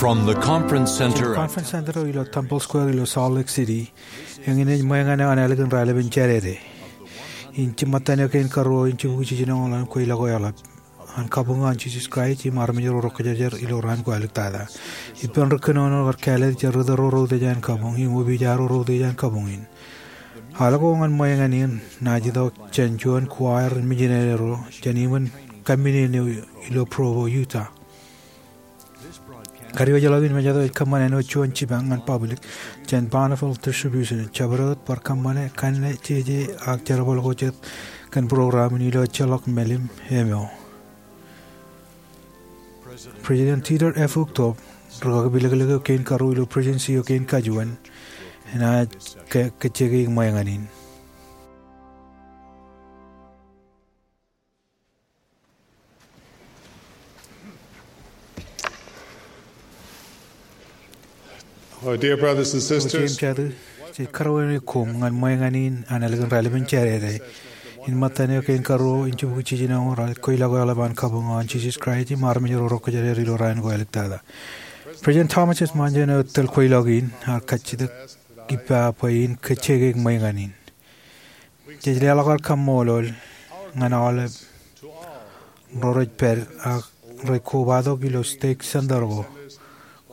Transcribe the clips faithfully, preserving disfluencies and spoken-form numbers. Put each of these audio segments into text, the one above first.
From the Conference Center at Conference Center eo ilo Temple Square ilo Salt Lake City, eñin ej ṃōñā eo an ālikin raelepen Jādede. Im jiṃṃatan eo kein karuo in jibukwi jiljino ḷọk an kweilọk eo eḷap an kabuñ an Jisōs Kraist im armej ro rej kōjerajer ilo raan ko āliktata. Ippān ri kōnono kar kāālōt jet ri tōl ro rej utiej an kabuñ im opiij ro rej utiej an kabuñ in. Al ko ñan ṃōñā in enaaj itok jān juon choir in mijinere ro jān iṃōn kammijin eo ilo Provo, Utah. Kadiwōjḷọk in mejāto ej kōṃṃane āinwōt juon jipañ ñan public jān Bonneville Distribution, jabdewōt bar kōṃṃane kanne, jeje ak jerbal ko jet kōn program in ilo ejjeḷọk mālim eo. President Dieter F. Uchtdorf, ri-kaki pilōklōk eo kein karuo ilo Presidency eo kein kajuon, enaaj ke-, kōjjekeik ṃōñā in. Oh, dear brothers and sisters, Jen Jadu, jej kōrā eok koṃ ñan ṃōñā in an ālikin raelepen Jādede in ṃōttan eo kein karuo in jibukwi jiljino ro rej kweilọk eo eḷap an kabuñ an Jisōs Kraist im armej ro rej kōjerajer ilo raan ko āliktata. President Thomas S. Monson eo tōl kweilọk in ear kajjitōk ippa bwe in kōjjekeik ṃōñā in. Jej leḷọk ad kaṃṃoolol ñan aolep ro rej pād ak rej kobatok ilo stake center ko,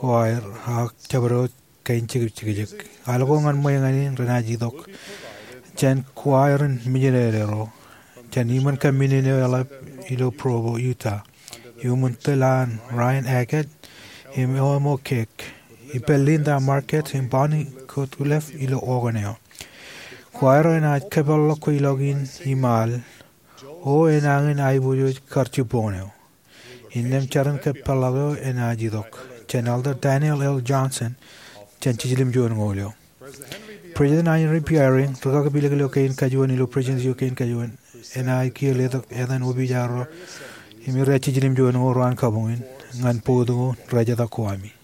choir ak jabdewōt kain jekjek. Al ko ñan ṃōñā in renaaj itok jān choir in mijinere ro jān iṃōn kammijin eo eḷap ilo Provo, Utah, iuṃwin tōl an Ryan Ackett im Elmo Keck, ippān Linda Markett im Bonnie Goodliffe ilo organ eo. Choir eo enaaj kōpeḷḷọk kweilọk in iṃaal, o enañin aiboojoj kar jibboñ eo. Innām jar in kōpeḷḷọk eo enaaj itok jān Elder Daniel L. Johnson jān jiljilimjuon ñoul eo. President Henry B. Eyring, ri-kaki pilōklōk eo kein kajuon ilo Presidency eo kein kajuon, enaaj kiiō letok etan opiij ro im rej jiljilimjuon ñoul ro an kabuñ in ñan bout ko rej etok ko ami.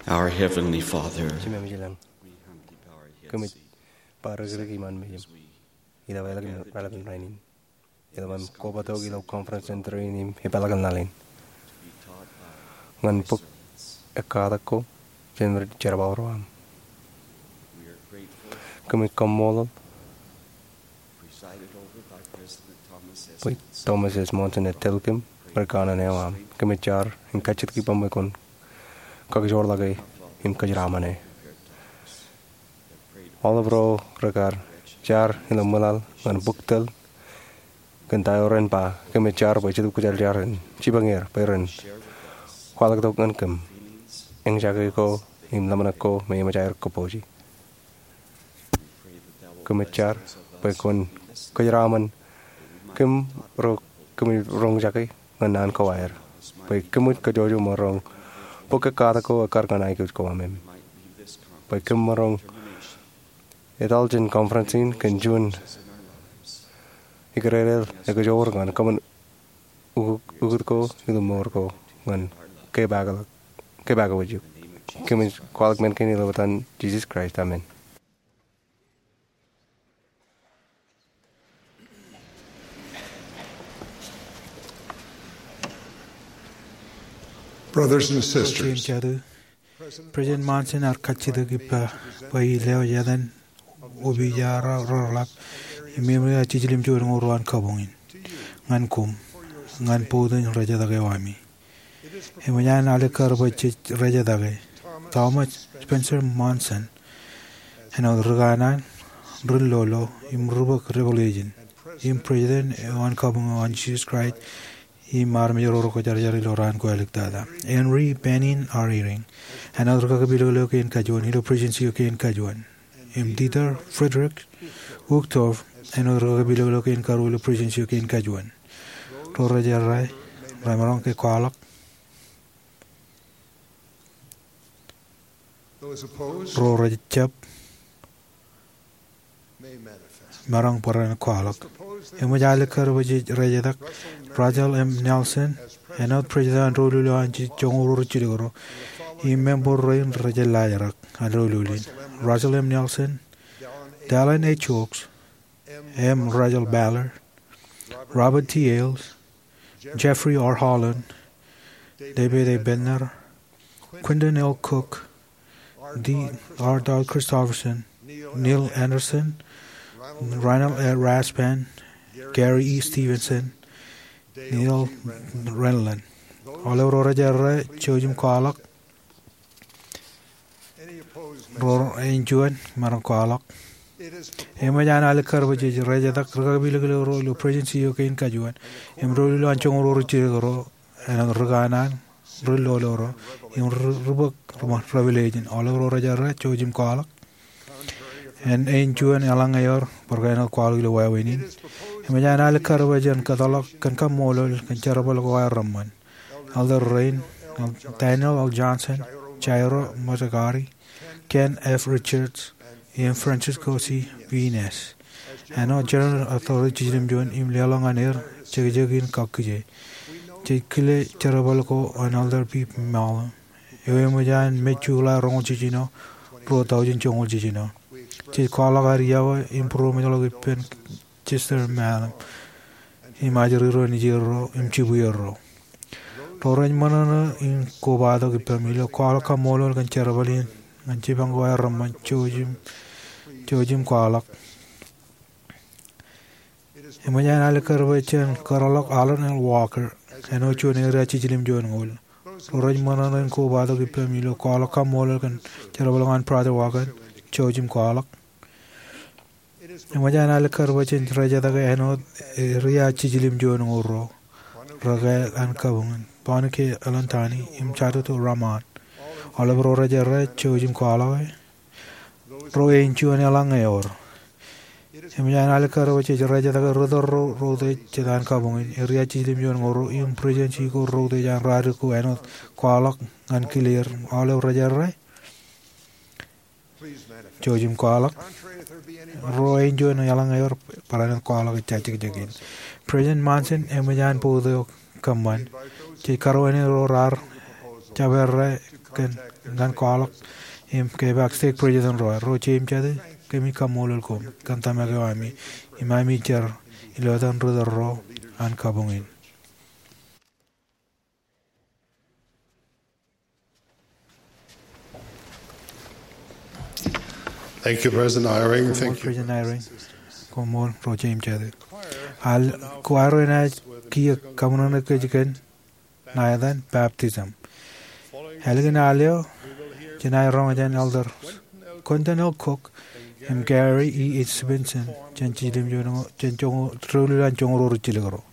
Our Heavenly Father, Jemem ilañ, kōmij bar rikiriki iṃaan mejaṃ ilo raelep in rainin. Ilo ṃaan kobatok ilo conference center in im epeḷḷọk laḷ in, ñan bōk ekkatak ko jān ri jerbal ro aṃ. Kōmij kaṃṃoolol bwe Thomas S. Monson ej tōl kōm ri kanaan eo aṃ. Kōmij jar im kajjitōk ippaṃ bwe kwōn kakijoorḷọke im kōjeraaṃṃane. Aolep ro rekar jar ilo ṃwilaḷ ñan bōk tōl kōn ta eo ren ba, kōmij jar bwe Jetōb Kwōjarjar en jipañ er bwe ren kwaḷọk tok ñan kōm eñjake ko im ḷōmṇak ko me eṃōj aer kōpooje. Kōmij jar bwe kwōn kōjeraaṃṃan kōm ro kōmij roñjake ñan naan ko aer, bwe kōmij kajjojo maroñ bōk ekkatak ko ekkar ñan aikuj ko aṃ im bwe kōm maroñ etal jān conference in kōn juon ikdedeḷ ekajoor ñan kōṃṃan ukōt ko ilo mour ko ñan kōpakḷọk, kōpakḷọk wōjū. Kōmij kwaḷọk men kein ilo etan Jisōs Kraist, amen. Brothers and sisters, President Monson ear kajjitōk ippa bwe ej lewōj etan opiij eo ro reḷap im eṃōj aō jiljilimjuon ñoul ruo an kabuñ in ñan koṃ ñan bōktok rejetake eo ami. Eṃōj an alikkar bwe jej rejetake Thomas Spencer Monson āinwōt ri kanaan, ri lolo im ri bōk revelation, im President eo an kabuñ eo an Jisōs Kraist im armej ro rej kwōjarjar ilo raan ko āliktata. Henry Bennion Eyring āinwōt ri kakipilōklōk kein kajuon ilo Presidency eo kein kajuon, im Dieter Friedrich Uchtdorf āinwōt ri kakipilōklōk kein karuo ilo Presidency eo kein kajuon. Ro rej errā, remaroñ ke kwaḷọk. Ro rej jab, maroñ barāinwōt kwaḷọk. Eṃōj alikkar bwe jej rejetōk Russell M. Nelson āinwōt President eo an doulul eo an joñoul ruo ri jilkinro im member rein rej laajrak an doulul in: Russell M. Nelson, Dallin H. Oaks, M. Russell Ballard, Robert T. Hales, Jeffrey R. Holland, David A. Bednar, Quentin L. Cook, D. Todd Christofferson, Neil Andersen, Reinald A. Rasband, Gary E. Stevenson, Neil Renlund. Aolep ro rej errā, jouj im kwaḷọk. Ro eo ejuon, maroñ kwaḷọk. Eṃōj an alikkar bwe jej rejetōk ri kakipilōklōk ro ilo Presidency eo kein kajuon im doulul eo an joñoul ruo ri jilkinro āinwōt ri kanaan, ri lolo ro im ri bōk revelation. Aolep ro rej errā, jouj im kwaḷọk. Āinwōt ejuon eḷaññe ewōr, bar ke āinwōt kwaḷọk ilo wāween in, eṃōj an alikkar bwe jen kōtḷọk kōn kaṃṃoolol kōn jerbal ko aer reṃṃan. Elder rein, Daniel L. Johnson, Jairo Mazzagardi, Ken F. Richards, im Francisco C. Viñas āinwōt General Authority jiljilimjuon im leḷọk ñan er jekjek in kakkije. Jej kile jerbal ko an Elder P. Mallon, eo eṃōj an mej July roñoul jiljino, ruo tọujin joñoul jiljino. Jej kwaḷọk ad iọkwe im būroṃōjḷọk ippān Chester Mallon im ajri ro, nejier ro im jibwier ro. Ro rej ṃōṇōṇō in kobatok ippaṃ ilo kwaḷọk kaṃṃoolol kōn jerbal in ñan jipañ ko aer reṃṃan, jouj im, jouj im kwaḷọk. Eṃōj an alikkar bwe jen kōtḷọk Arlen L. Walker āinwōt juon eria jiljilimjuon ñoul. Ro rej ṃōṇōṇō in kobatok ippaṃ ilo kwaḷọk kaṃṃoolol kōn jerbal ko an Brother Walker, jouj im kwaḷọk. Eṃōj an alikkar bwe jen rejetōk āinwōt eria jiljilimjuon ñoul ro rekāāl an kabuñ in, Bonnie K. Alentani im Satutu Rahman. Aolep ro rej errā, jouj im kwaḷọk. Ro eo ejuon eḷaññe ewōr. Eṃōj an alikkar bwe jej rejetōk ri tōl ro rej utiej jet an kabuñ in, eria jiljilimjuon ñoul ro im Presidency ko rej utiej an radik ko āinwōt kwaḷọk ñan kile er. Aolep rej errā, jouj im kwaḷọk. Ro eo ejuon eḷaññe ewōr, barāinwōt kwaḷọk ejja jekjek in. President Monson eṃōj an bōktok kōṃṃan. Jej karuwainene ro raar jab errā kōn ñan kwaḷọk im kepaak stake president ro, ro jeiū im jatū, kōmij kaṃṃoolol koṃ kōn tōmak eo ami im ami jar ilo etan ri tōl ro an kabuñ in. Thank you, President Eyring. Thank you, President Eyring. Koṃṃool ro jeiū im jatū. Al, ko aer enaaj kiiō kaṃōṇōṇō kōj kōn ṇa etan baptism. Ālikin al eo, jenaaj roñ jān Elder Quentin L. Cook im Gary E. H. Stevenson jān jilimjuon, jān joñoul, doulul an joñoul ruo rijjilōk ro.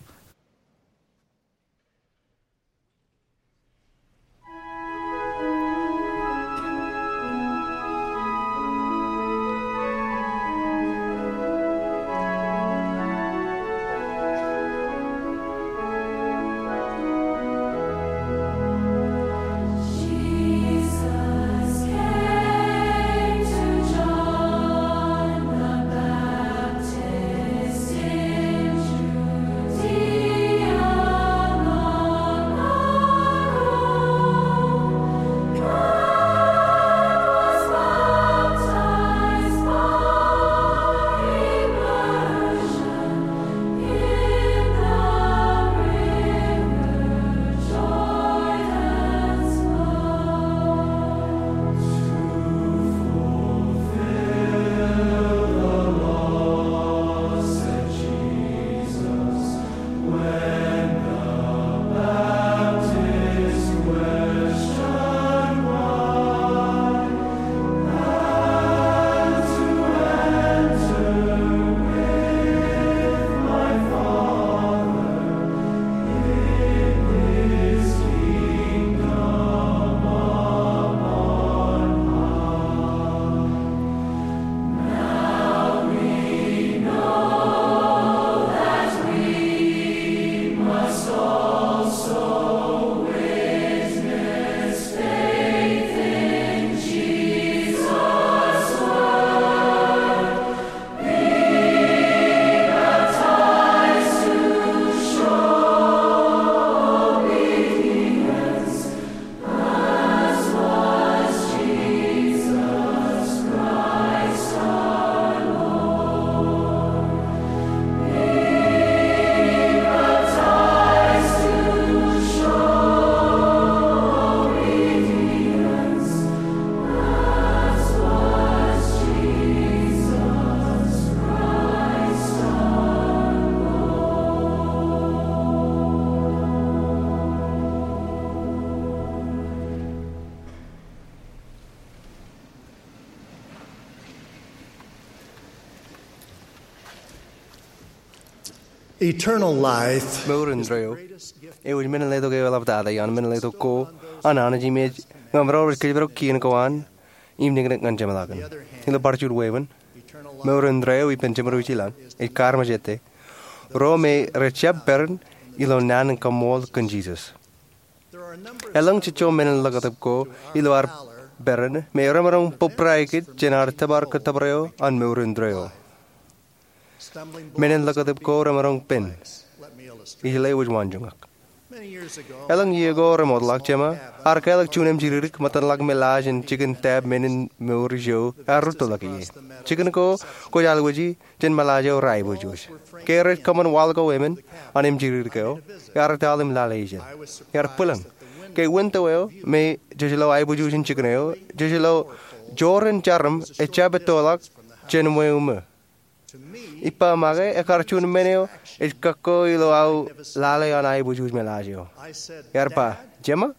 Eternal life. Mour indeeo eo ej men in letok eo eḷaptata ioon men in letok ko an Anij im ej ñe emaroñ rej kōjparok kien ko an im niknik ñan jeṃḷọkin. Ilo bar juon wāween, mour indeeo eo ippān jeṃro ej ilañ, ej kaarmejāte ro me rej jab peran ilo naan in kaṃṃool kōn Jisōs. Elōñ jejjo men in ḷōkatip ko ilo ad peran me remaroñ bōbrae kōj jān ad tōpar kōttōpar eo an mour indeeo. Men in ḷōkatip ko remaroñ pen. Ij lewōj waanjoñak. Elōñ iiō ko remootḷọk, jema ear kālọk juon emjidikdik ṃōttan ḷak me laaj in jikin tap men in mour ijo ear rūttoḷọk ie. Jikin ko kwōj alwōji jān ṃōḷaaj eo reaiboojoj. Ke rej kōṃṃan waḷọk ko emān an emjidikdik eo, ear etal im lale ijin. Ear bwilōñ ke winto eo me jej lo aiboojoj in jikin eo, jej lo jorrāān jarom ejjab ettoḷọk jān ṃweo ṃō. Ippa make, ekkar juon men eo ej kakko ilo aō lale an aiboojoj ṃōḷaaj eo. Ear ba, "Jema,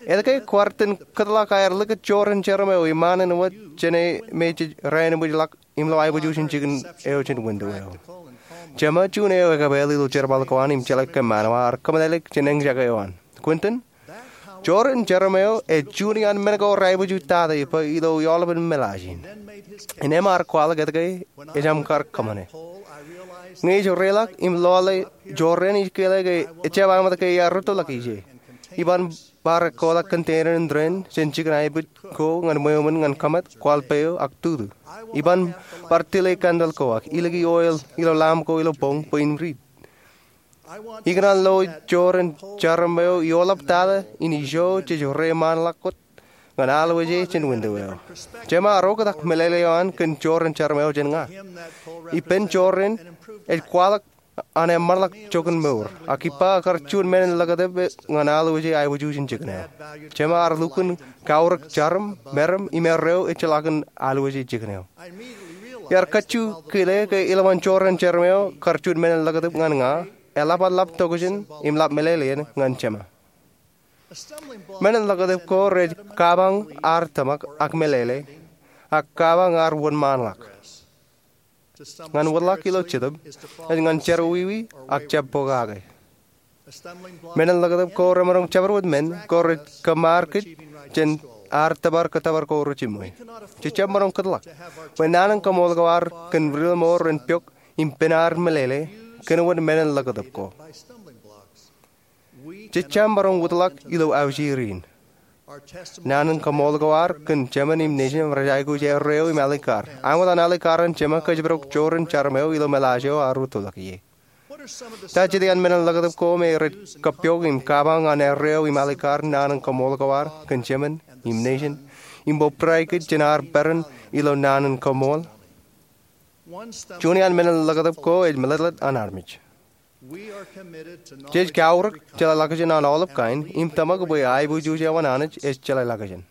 etke kwaar itōn kōtḷọk aer likūt jorrāān jarom eo iṃaan in wōt jān e me jej rāinwōjḷọk im lo aiboojoj in jikin eo jān winto eo?" Jema, juon eo ekapāl ilo jerbal ko an im jeḷā kōṃṃan eo, ear kōmeḷeḷeik jān eñjake eo an. "Quentin, jorrāān jarom eo ej juon iaan men ko reaiboojoj tata ippa ilo eoḷapān ṃōḷaaj in." Innām ear kwaḷọk etke ejāmin kar kōṃṃane. Ñe ij reiḷọk im lọle jorrāān, ij kile ke ejjab aṃōt ke ear rūttoḷọk ije. Iban bar ekkoḷọk container in rain jān jikin aibwij ko ñan ṃweo ṃōn ñan kōṃṃan, kwaḷ peo ak tutu. Iban bar tile candle ko ak iliki oil ilo lamp ko ilo boñ bwe in riit. Ikōṇaan lo jorrāān jarom eo eoḷaptata in ijo jej reiṃaanḷọk wōt ñan alwōje jān winto eo. Jema ear oktak meḷeḷe eo an kōn jorrāān jarom eo jān ña. Ippān jorrāān ej kwaḷọk an eṃṃanḷọk joñan mour, ak ippa ekar juon menin ḷōkatōb ñan alwōje aiboojoj in jikin eo. Jema ear lukkuun kaurōk jarom, meram im erreo ejjeḷọkin alwōje jikin eo. Iar kajju kile ke ilowaan jorrāān jarom eo kar juon menin ḷōkatōb ñan ña, eḷap an ḷap tokjān im ḷap meḷeḷein ñan jema. Menin ḷōkatōb ko rej kabañ ad tōmak ak meḷeḷe, ak kabañ ad wōnṃaanḷọk. Ñan wōtlọk ilo jetōb ej ñan jerọwiwi ak jab pokake. Menin ḷōkatōb ko remaroñ jabdewōt men ko rej kōṃṃar kōj jān ad tōpar kōttōpar ko rejiṃwe. Jej jab maroñ kōtḷọk bwe naan in kaṃool ko ad kōn riḷomour ren pok im pen ad meḷeḷe kōn wōt menin ḷōkatōb ko. Jej jab maroñ wōtlọk ilo aujieer in. Naan in kaṃool ko ad kōn jemān im nejin rej aikuj erreo im alikkar. Āinwōt an alikkar an jema kōjparok jorrāān jarom eo ilo meḷaaj eo ear rūttoḷọk ie. Ta jet iaan menin ḷōkatōb ko me rej kōppooj im kabañ an erreo im alikkar naan in kaṃool ko ad kōn jemān im nejin im bōbrae kōj jān ad peran ilo naan in kaṃool? Juon iaan menin ḷōkatōb ko ej meḷeḷet an armej. Jej kaurōk jeḷāḷọkjeṇ an aolep kain im tōmak bwe aiboojoj eo an Anij ej jeḷāḷọkjeṇ.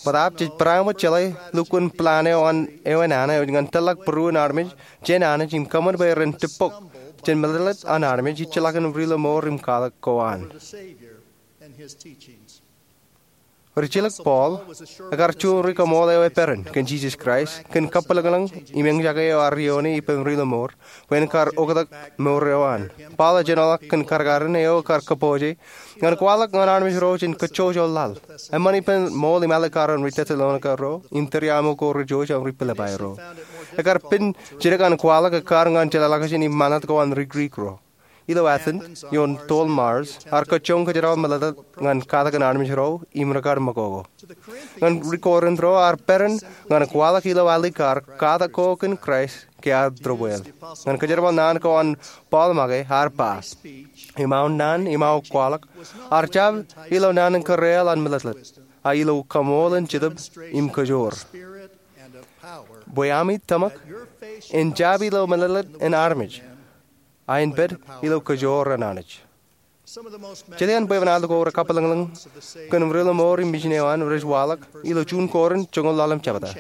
Bōtaab jej bareinwōt jeḷā lukkuun plan eo an ewi nana eo ej ñan tōrḷọk būruon armej jān Anij im kōṃṃan bwe ren tippok jān meḷeḷet an armej ijjeḷọkin riḷomour im katak ko an. Rijilōk Paul ekar juon ri kaṃool eo eperan kōn Jisōs Kraist kōn kabwilōñlōñ im eñjake eo ear ioone ippān riḷomour bwe en kar oktak mour eo an. Paul ej enaaj kōn kadkadin eo ekar kōpooje ñan kwaḷọk ñan armej ro jān kōjjojo laḷ. Eṃṃan ippān ṃool im alikkar an ri Tessalonika ro im tūriaṃo ko rejouj an ri Pilippai ro. Ekar pen jidik an kwaḷọk ekkar ñan jeḷāḷọkjeṇ im ṃanit ko an ri Grik ro. Ilo Athens ioon toḷ Mars ear kōjjoñ kōjerbal meḷeḷe ñan katakin armej ro im rekar ṃakoko. Ñan ri Korint ro ear peran ñan kwaḷọk ilo alikkar katak ko kōn Kraist ke ad debwāāl. Ñan kōjerbal naan ko an Paul make ear ba, im aō naan im aō kwaḷọk ear jab ilo naan in kōrreaḷ an meḷeḷe, a ilo kaṃool in jetōb im kōjoor, bwe ami tōmak en jab ilo meḷeḷe in armej, a en pād ilo kōjoor an Anij. Jet iaan bwebwenato ko rekabwilōñlōñ kōn riḷomour im mijin eo an rej waḷọk ilo juon Korint joñoul ḷalem jebta.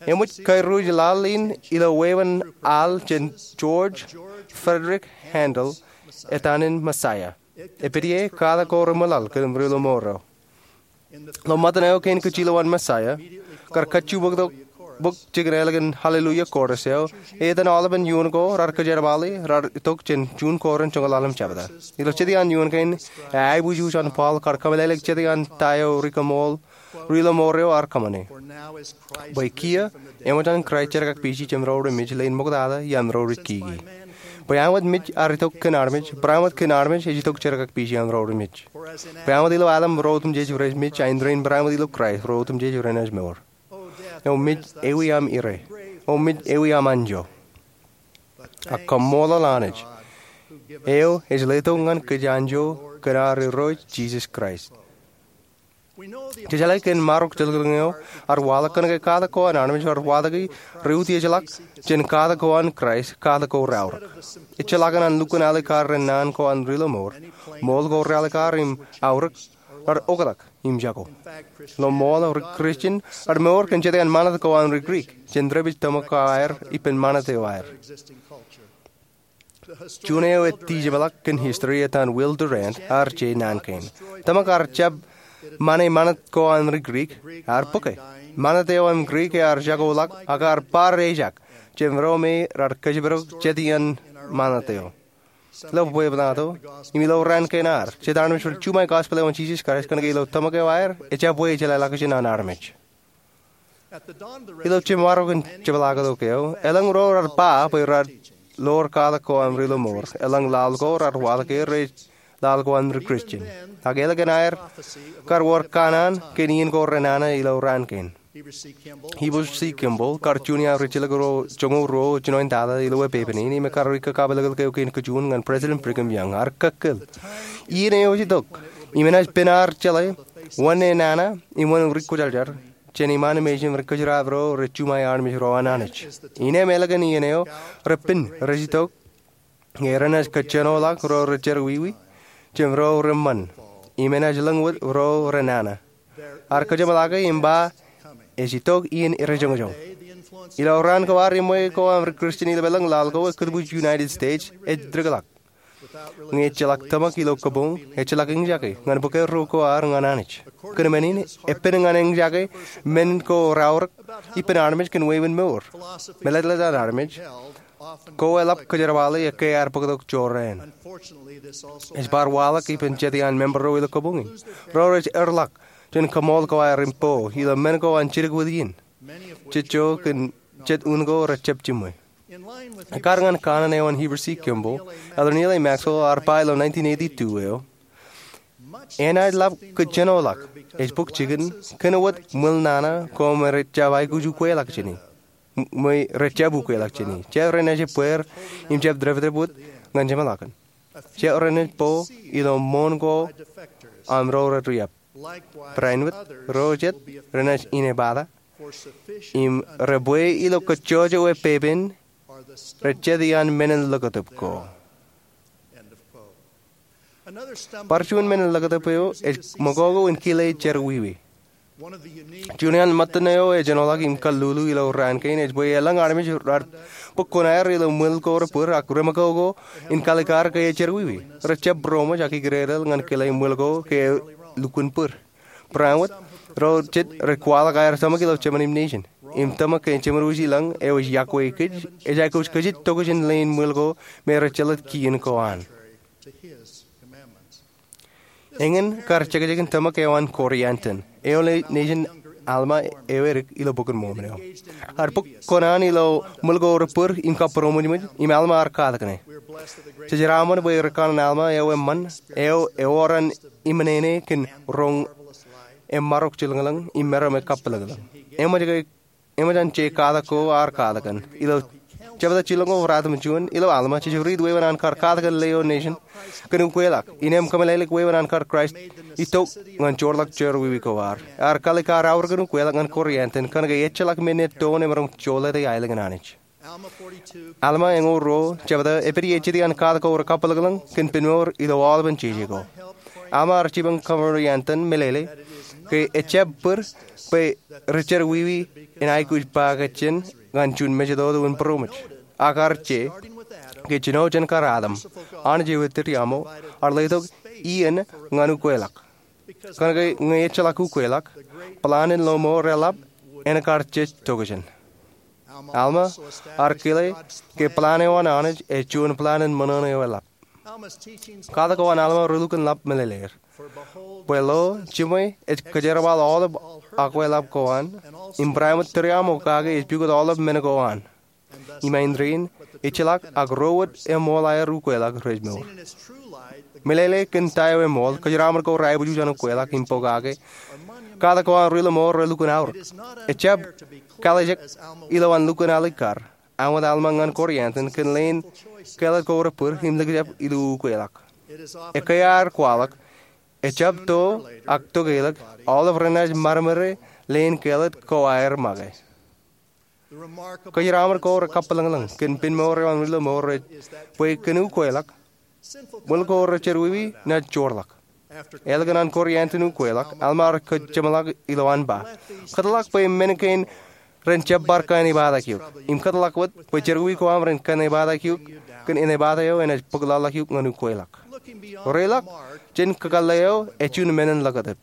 Eṃōj kairuj laḷ in ilo wāween al jān George Frederick Handel, etan in Messiah. Epād ie katak ko reṃwilaḷ kōn riḷomour eo. Ilo ṃōttan eo kein kajjilowaan Messiah, kar kajjitōk bōk jikin ālikin Hallelujah Chorus eo, etan aolepen ioon ko raar kōjerbale raar itok jān juon Korint joñoul ḷalem jebta. Ilo jet iaan ioon kein, aiboojoj an Paul kar kōmeḷeḷeik jet iaan ta eo ri kaṃool riḷomour eo ear kōṃṃane. Bwe kiiō, eṃōj an Kraist jerkakpeje jān ro remej leen ṃoktata iaan ro rej kiki. Bwe āinwōt mej ear itok kōn armej, bareinwōt kōn armej ej itok jerkakpeje iaan ro remej. Bwe āinwōt ilo Adam ro otemjej rej mej, a indein bareinwōt ilo Kraist ro otemjej renaaj mour. O mej, ewi aṃ ire? O mej, ewi aṃ anjọ? Ak kaṃṃoolol Anij, eo ej letok ñan kōj anjọ kōn ad Irooj Jisōs Kraist. Jejeḷā ke marok jelōñlōñ eo ear waḷọk kōnke katak ko an armej ear watōki ri-utiejḷọk jān katak ko an Kraist, katak ko reaorōk. Ejjeḷọkin an lukkuun alikkar ren naan ko an riḷomour, ṃool ko realikkar im aorōk raar oktak im jako. Ilo ṃool, ri-Kristian remour kōn jet iaan ṃanit ko an ri Grik, jān dāpij tōmak ko aer ippān ṃanit eo aer. Juon eo ej tijeṃḷọk kōn history etan Will Durant ear je naan kein. Tōmak ear jab ṃane ṃanit ko an ri Grik, ear bōke. Ṃanit eo an Grik ear jakoḷọk ak ear bar ejak jān ro me raar kōjparok jet iaan ṃanit eo. Ilo bwebwenato im ilo raan kein ad, jet armej rej juṃae gospel eo an Jisōs Kraist kōnke ilo tōmak eo aer, ejabwe jeḷāḷọkjeṇ an armej. Ilo jemṃaroñ in jepḷaaktok eo, elōñ ro raar ba bwe raar lor katak ko an riḷomour, elōñ laḷ ko raar waḷọk er ej laḷ ko an ri-Kristian. Ak ālikin aer kar wōr kanaan kōn iien ko renana ilo raan kein. Heber C. Kimball, kar juon iaan ri-jilkinḷọk joñoul ruo jinoin tata ilo epepen in, im ekar ri-kakapeḷḷọk eo kein kajjioñ ñan President Brigham Young, ear kōkkōl, iien eo ej itok im enaaj pen ad jeḷā Wōn e nana im wōn ri kwōjarjar jān iṃaan im ej im ri kōjeraab ro rej juṃae armej ro an Anij. Innām ālikin iien eo, repen rej itok ñe renaaj kōjenoḷọk ro rej jerọwiwi jān ro reṃṃan im enaaj lōñ wōt ro renana. Ear kōjeṃḷọke im ba ej itok iien rejoñjoñ. Ilo raan ko ad iṃwe ko aṃ ri Kristian ilopeḷḷọk laḷ ko, ekkōtbwij United States ej dikḷọk. Ñe ejjeḷọk tōmak ilo kōpoñ, ejjeḷọk eñjake ñan bōk erro ko ad ñan Anij. Kōn men in, epen ñan eñjake men ko raorōk ippān armej kōn wāween mour. Meḷeḷe an armej, ko eḷap kōjerbale ekkā ad bōktok jorrāān. Ej bar waḷọk ippān jet iaan member ro ilo kōpoñ in. Ro rej erḷọk jān kōṃool ko aer im po ilo men ko an jidik wōt iien. Jejjo kōn jet un ko rejjab jiṃwe. Ekkar ñan kanaan eo an Heber C. Kimball, Elder Neal A. Maxwell ear ba ilo nineteen eighty-two eo, enaaj lap kōjenoḷọk, ej bōk jikin, kōn wōt ṃwil nana ko me rejjab aikuj ukweḷọk jāne, ṃwe rejjab ukweḷọk jāne. Jab renaaj ebbeer im jab depdep wōt ñan jeṃḷọkin. Jab renaaj bo ilo ṃoon ko aṃ ro rej riab. Barāinwōt, ro jet renaaj inepata im rej bwe ilo kōjjojo epepen rej jet iaan menin ḷōkatōp ko. Bar juon menin ḷōkatōp eo ej ṃōkoko in kile jerọwiwi. Juon iaan ṃōttan eo ej ejenoḷọk im kallulu ilo raan kein ej bwe elōñ armej raar bōk kuṇaer ilo ṃwil ko rebōd ak reṃōkoko in kalikkar ke ejjerọwiwi. Rejjab būroṃōj ak ikdedeḷ ñan kile ṃwil ko ke elukkuun bōd. Barāinwōt, ro jet rej kwaḷọk aer tōmak ilo jemān im nejin im tōmak ke jemān wōj ilōñ eo ej iọkwe kōj ej aikuj kajjitōk jān leen ṃwil ko me rej jelōt kien ko an. Eñin kar jekjekin tōmak eo an Corrie ten Boom, eo nejin Alma eo edik ilo Bok in Mormon eo. Ear bōk kuṇaan ilo ṃwil ko rebōd im kabūroṃōjṃōj, im Alma ear katak ñe. Jejeraṃṃan bwe ri kanaan Alma eo eṃṃan, eo ewōr an iṃōṇōṇō kōn roñ emarok jilōñlōñ im meram ekabwilōñlōñ. Eṃōj ke Eṃōj an je katak ko ear katak kōn. Ilo jebta jilōñ ko ruatimjuon ilo Alma, jej riit wāween an kar katak kōn lio nejin kōn ukweḷọk. Innām kōmeḷeḷeik wāween an kar Kraist itok ñan joorḷọk jerọwiwi ko ad. Ear kalikkar aorōk in ukweḷọk ñan Corrie ten Boom kōnke ejjeḷọk men eo ettoon emaroñ jolōte aelōñ in Anij. Alma eñoul ruo, jebta epād ie jet iaan katak ko rekabwilōñlōñ kōn penmour ilo aolepen jeje ko. Alma ear jipañ Corrie ten Boom meḷeḷe ke ejjab bōd bwe ri jerọwiwi en aikuj ba kōjjien ñan juon mejatoto in būroṃōj. Ak ear je ke jino jān kar Adam, Anij eo ettiriaṃo, ear letok iien ñan ukweḷọk. Kōnke ñe ejjeḷọk ukweḷọk, plan in lọmọọr eḷap en kar jej tokjān. Alma ear kile ke plan eo an Anij ej juon plan in ṃōṇōṇō eo eḷap. Katak ko an Alma relukkuun ḷap meḷeḷeir. Bwe lo, jiṃwe ej kōjerbal aolep akweḷap ko an, im barāinwōt tiriaṃo kake ej pukot aolep men ko an. Im āindein, ejjeḷọk ak ro wōt eṃool aer ukweḷọk rej mour. Meḷeḷe kōn ta eo eṃool, kōjeraṃṃan ko reaiboojoj an ukweḷọk im pokake. Katak ko an ri lọmọọr relukkuun aorōk. Ejjab kalijek ilowaan lukkuun alikkar. Āinwōt Alma ñan Corrie ten Boom kōn leen kāālōt ko rebōd im likjab ilo ukweḷọk. Ekkā ear kwaḷọk, ejjab to ak tokeḷọk, aolep renaaj maroñ leen kāālōt ko aer make. Kōjeraṃṃan ko rekabwilōñlōñ kōn penmour eo an ri lọmọọr rej bwe kōn ukweḷọk, ṃwil ko rej jerọwiwi naaj joorḷọk. Ālikin an Corrie ten Boom ukweḷọk, Alma ear kōjeṃḷọk ilowaan ba, kōtḷọk bwe men kein ren jab bar kaenōpatak eok. Im kōtḷọk wōt bwe jerọwiwi ko aṃ ren kaenōpatak eok kōn inepata eo enaaj bōk laḷḷọk eok ñan ukweḷọk. Reḷọk jān kakōḷḷe eo ej juon menin ḷōkatōp.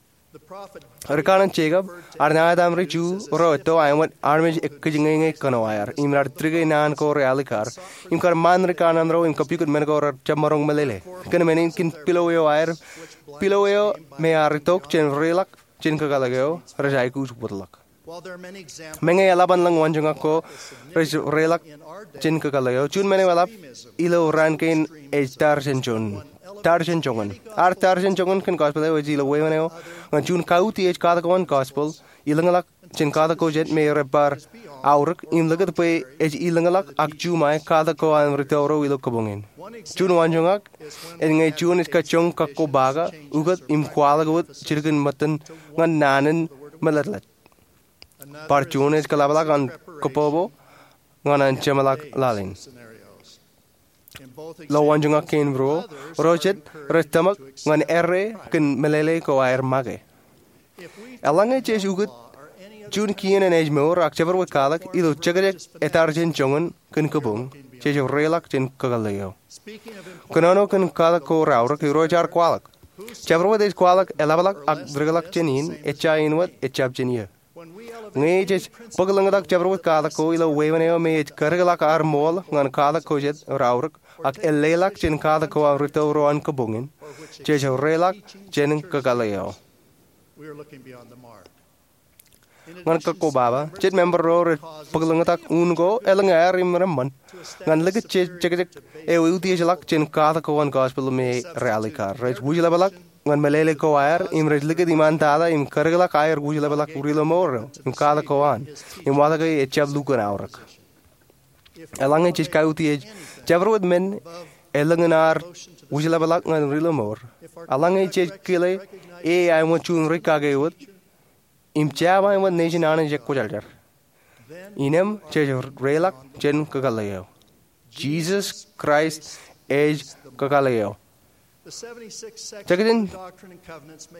Ri kanaan Jekob ear ṇa etaṃ ri Ju ro etto āinwōt armej ekkijñeñe kōnoaer, im raar tike naan ko realikkar, im kar ṃaan ri kanaan ro im kapukot men ko rej jab maroñ meḷeḷe. Kōn men in kōn pilo eo aer, pilo eo me ear itok jān reḷọk jān kakōḷḷe eo, rej aikuj wōtlọk. Meñe eḷap an lōñ waanjoñak ko rej reḷọk jān kakōḷḷe eo, juon men eo eḷap ilo raan kein ej tar jān joñan. Tar jān joñan. Ad tar jān joñan kōn gospel eo ej ilo wāween eo ñan juon kautiej katak ko an gospel, ilōñḷọk jān katak ko jet me rej bar aorōk im likūt bwe ej ilōñḷọk ak juṃae katak ko an ri tōro ilo kabuñ in. Juon waanjoñak ej ñe juon ej kajjoñ kakkobaka, ukōt im kwaḷọk wōt jilkinṃōttan ñan naan in meletlet. Bar juon ej kōḷapḷọk an kōpopo ñan an jeṃḷọk laḷ in. Ilo waanjoñak kein ruo, ro jet rej tōmak ñan errā kōn meḷeḷe ko aer make. Eḷaññe jej ukōt juon kien eṇ ej mour ak jabdewōt katak ilo jekjek etar jān joñan kōn kabuñ, jej reiḷọk jān kakōḷḷe eo. Kōnono kōn katak ko raorōk, irooj ear kwaḷọk, jabdewōt ej kwaḷọk eḷapḷọk ak dikḷọk jān in, ejja in wōt ejjab jān eō. Ñe jej bōklōñtak jabdewōt katak ko ilo wāween eo me ej kadikḷọk ad ṃool ñan katak ko jet raorōk ak eḷḷeḷọk jān katak ko an ri tōro an kabuñ in, jej reiḷọk jān kakōḷḷe eo. Ñan kakkobaba, jet member ro rej bōklōñtak un ko elōñ aer im reṃṃan ñan likūt jejjek eo eutiejḷọk jān katak ko an gospel me rally kar. Rej wūjlepḷọk ñan meḷeḷe ko aer im rej likūt iṃaantata im kadikḷọk aer wūjlepḷọk ri-lọmọọr eo im katak ko an im watōke ejjab lukkuun aorōk. Eḷaññe jej kautiej jabdewōt men elōñ in ad wūjlepḷọk ñan ri-lọmọọr, eḷaññe jej kile e āinwōt juon ri-kake wōt im jab āinwōt nejin Anij ekwōjarjar, innām jej reiḷọk jān kakōḷḷe eo. Jisōs Kraist ej kakōḷḷe eo. Jekjān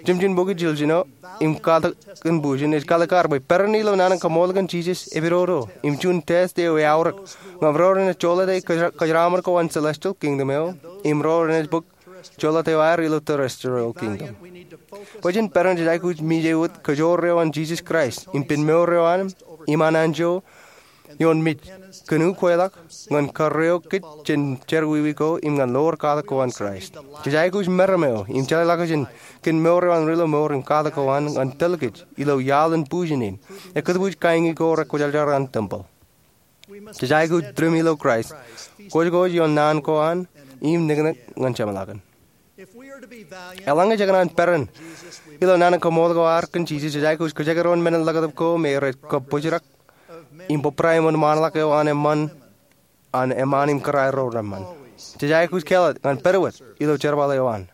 jimjuon bok in jiljilimjuon im katak in bujen ej kaalikkar bwe peran ilo naan in kaṃool kōn Jisōs epidodo im juon test eo eaorōk ñan ro renaaj joḷọk kōjeraaṃṃan ko an celestial kingdom eo im ro renaaj bōk joḷọk eo aer ilo terrestrial kingdom. Bwe jen peran, jej aikuj mije wōt kajoor eo an Jisōs Kraist im pen mour eo an im an anjọ ioon mej kōn ukweḷọk ñan karreo kōj jān jerọwiwi ko im ñan ḷoor katak ko an Kraist. Jej aikuj meram eo im jeḷāḷọkjeṇ kōn mour eo an ri-lọmọọr im katak ko an ñan tōl kōj ilo iaḷ in bujen in, ekkōtbuuj kain ko rekwōjarjar an tempel. Jej aikuj tūriṃ ilo Kraist, kōjkōj ioon naan ko an im niknik ñan jeṃḷọkin. Eḷaññe jekōṇaan peran ilo naan in kaṃool ko ad kōn Jisōs, jej aikuj kajekdọọn men in ḷōkatip ko me rej kab bōjrak im bōbrae ṃōn ṃaanḷọk eo an eṃṃan, an eṃṃaan im kōrā ro reṃṃan. Jej aikuj kāālōt ñan pād wōt ilo jerbal eo an.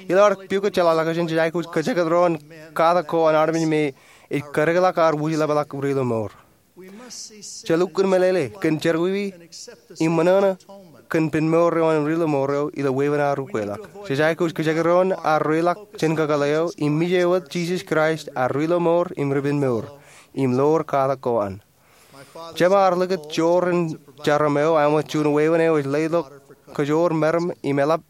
Ilo ad pukot jeḷāḷọkjeṇ, jej aikuj kajekdọọn katak ko an armej me ej kadikḷọk ad wūjlepḷọk ri-lọmọọr. Jej lukkuun meḷeḷe kōn jerọwiwi im ṃōṇōṇō kōn pen mour eo an ri-lọmọọr eo ilo wāween ad ukweḷọk. Jej aikuj kajekdọọn ad reiḷọk jān kakōḷḷe eo im mije wōt Jisōs Kraist ad ri-lọmọọr im ri-pen mour im ḷoor katak ko an. Jema ear likūt joor in jarom eo āinwōt juon wāween eo ej leḷọk kajoor meram im eḷap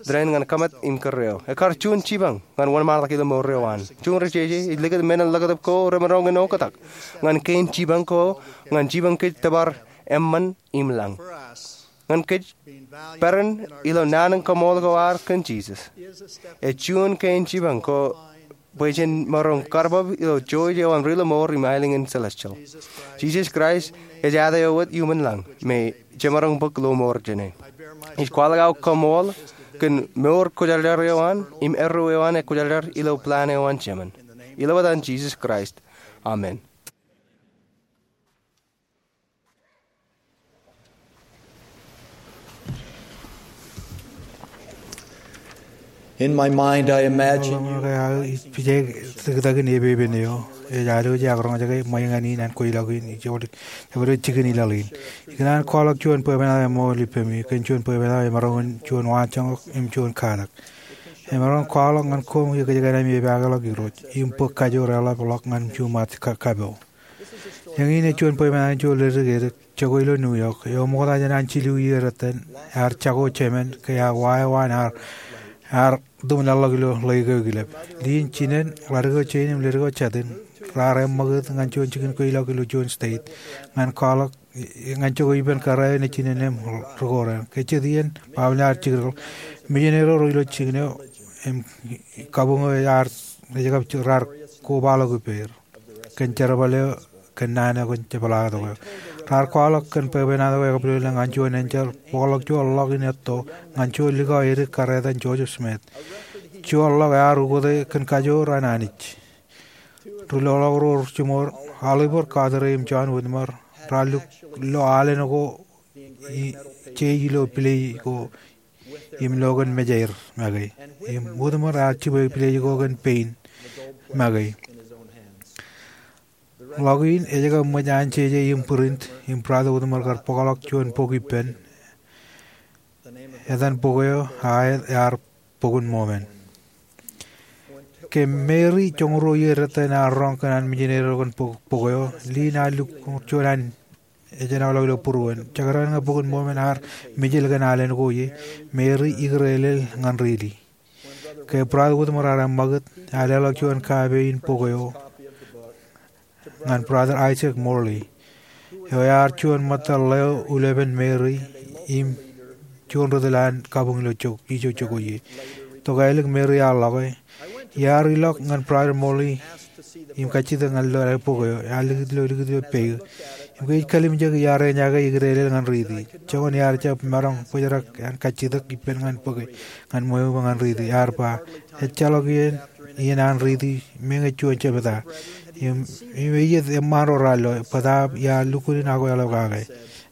tōre in ñan kōṃṃan im kōrreo. Ekkar juon jipañ ñan wōnṃaanḷọk ilo mour eo an. Juon ri jeje ej likūt men in ḷōkatip ko remaroñ in oktak ñan kein jipañ ko ñan jipañ kōj tōpar eṃṃan im lañ. Ñan kōj, peran ilo naan in kaṃool ko ad kōn Jisōs ej juon kein jipañ ko bwe jen maroñ karbab ilo jouj eo an ri-lọmọọr im aelōñ in celestial. Jisōs Kraist ej āt eo wōt iuṃwin lañ me jemaroñ bōk lọmọọr jāne. Ij kwaḷọk aō kaṃool kōn mour kwōjarjar eo an im erreo eo an ekwōjarjar ilo plan eo an Jemān. Ilo etan Jisōs Kraist, amen. In my mind, I imagine you. Ij pije tok in epepen eo ej alwōj ak roñjake ṃweiñan in an kweilọk in ij jabdewōt jikin ilaḷ in. Ikōṇaan kwaḷọk juon bwebwenato eṃool ippemi kōn juon bwebwenato emaroñ in juon waanjoñak im juon katak. Emaroñ kwaḷọk ñan koṃ ikōjkan ami epaakḷọk Irooj im bōk kajoor eḷapḷọk ñan juṃaat ka-, kapo. Eñin ej juon bwebwenato in juon ledik edik jokwe ilo New York eo ṃokta jān an jilu iiō etan ear jako jemān ke ear wa eo an ear, ear tumḷọk ilo ḷeo eo kilep. Liin jinen, ḷadik eo jein im ledik eo jatin raar eṃṃakūt ñan juon jikin kweilọk ilo juon state ñan kwaḷọk ñan jokwe ippān kōrā eo nejin eṇ im rūkoran. Ke jet iien, baaṃle ear jikdikḷọk. Mejān eo ro ilo jikin eo im kabuñ eo ear ej kab raar kobaḷọk ippāer kōn jerbal eo kōn naan eo kōn jepḷaaktok eo. Raar kwaḷọk kōn bwebwenato eo ekabwilōñlōñ an juon enjeḷ bōkḷọk juon ḷọk in etto ñan juon likao edik kar etan Joseph Smith. Juon ḷọk ear ukōte kōn kajoor an Anij. Ri-loḷọk ro jiṃor, Oliver Cowdery im John Whitmer, raar luk lo alen ko, jej ilo pilej ko im lo kōn mejaer make. Im Whitmer ear jibwe pilej ko kōn pein make. Ḷọk in ej kab ṃōj an jeje im print, im Brother Whitmer kar bōkḷọk juon bok ippān. Etan bok eo aet ear Bok in Mōmen. Ke Mary joñoul ruo iiō dettain ear roñ kōn an mijineri eo kōn bok eo, Lynn ear lukkuun juon an ejjeḷọk ilo būruon. Jekdọọn ñe Bok in Mōmen ear mijel kōn alen ko ie, Mary ikūrelel ñan riiti. Ke Brother Whitmer ear eṃṃakūt, ear leḷọk juon kape in bok eo ñan Brother Isaac Morley, eo ear juon ṃōttan ḷeo ulepen Mary im juon ri-tōl an kabuñ ilo ijo jokwe ie. Tokālik Mary ear ḷọke, Iar ilọk ñan Brother Morley im kajjitōk ñan lo aer bok eo. Ear likūt ilo, likūt ilo peik. Im ke ij kalimjek, iar eñjake ikūrelel ñan riiti. Joñan iar jab maroñ bōjrak an kajjitōk ippān ñan bōke ñan ṃweo ṃōk ñan riiti. Ear ba, Ejjeḷọk iien, iien an riiti, meñe juon jebta. Im, im eiiet eṃṃaan ro raar lo, bōtaab iar lukkuun akweḷap kake.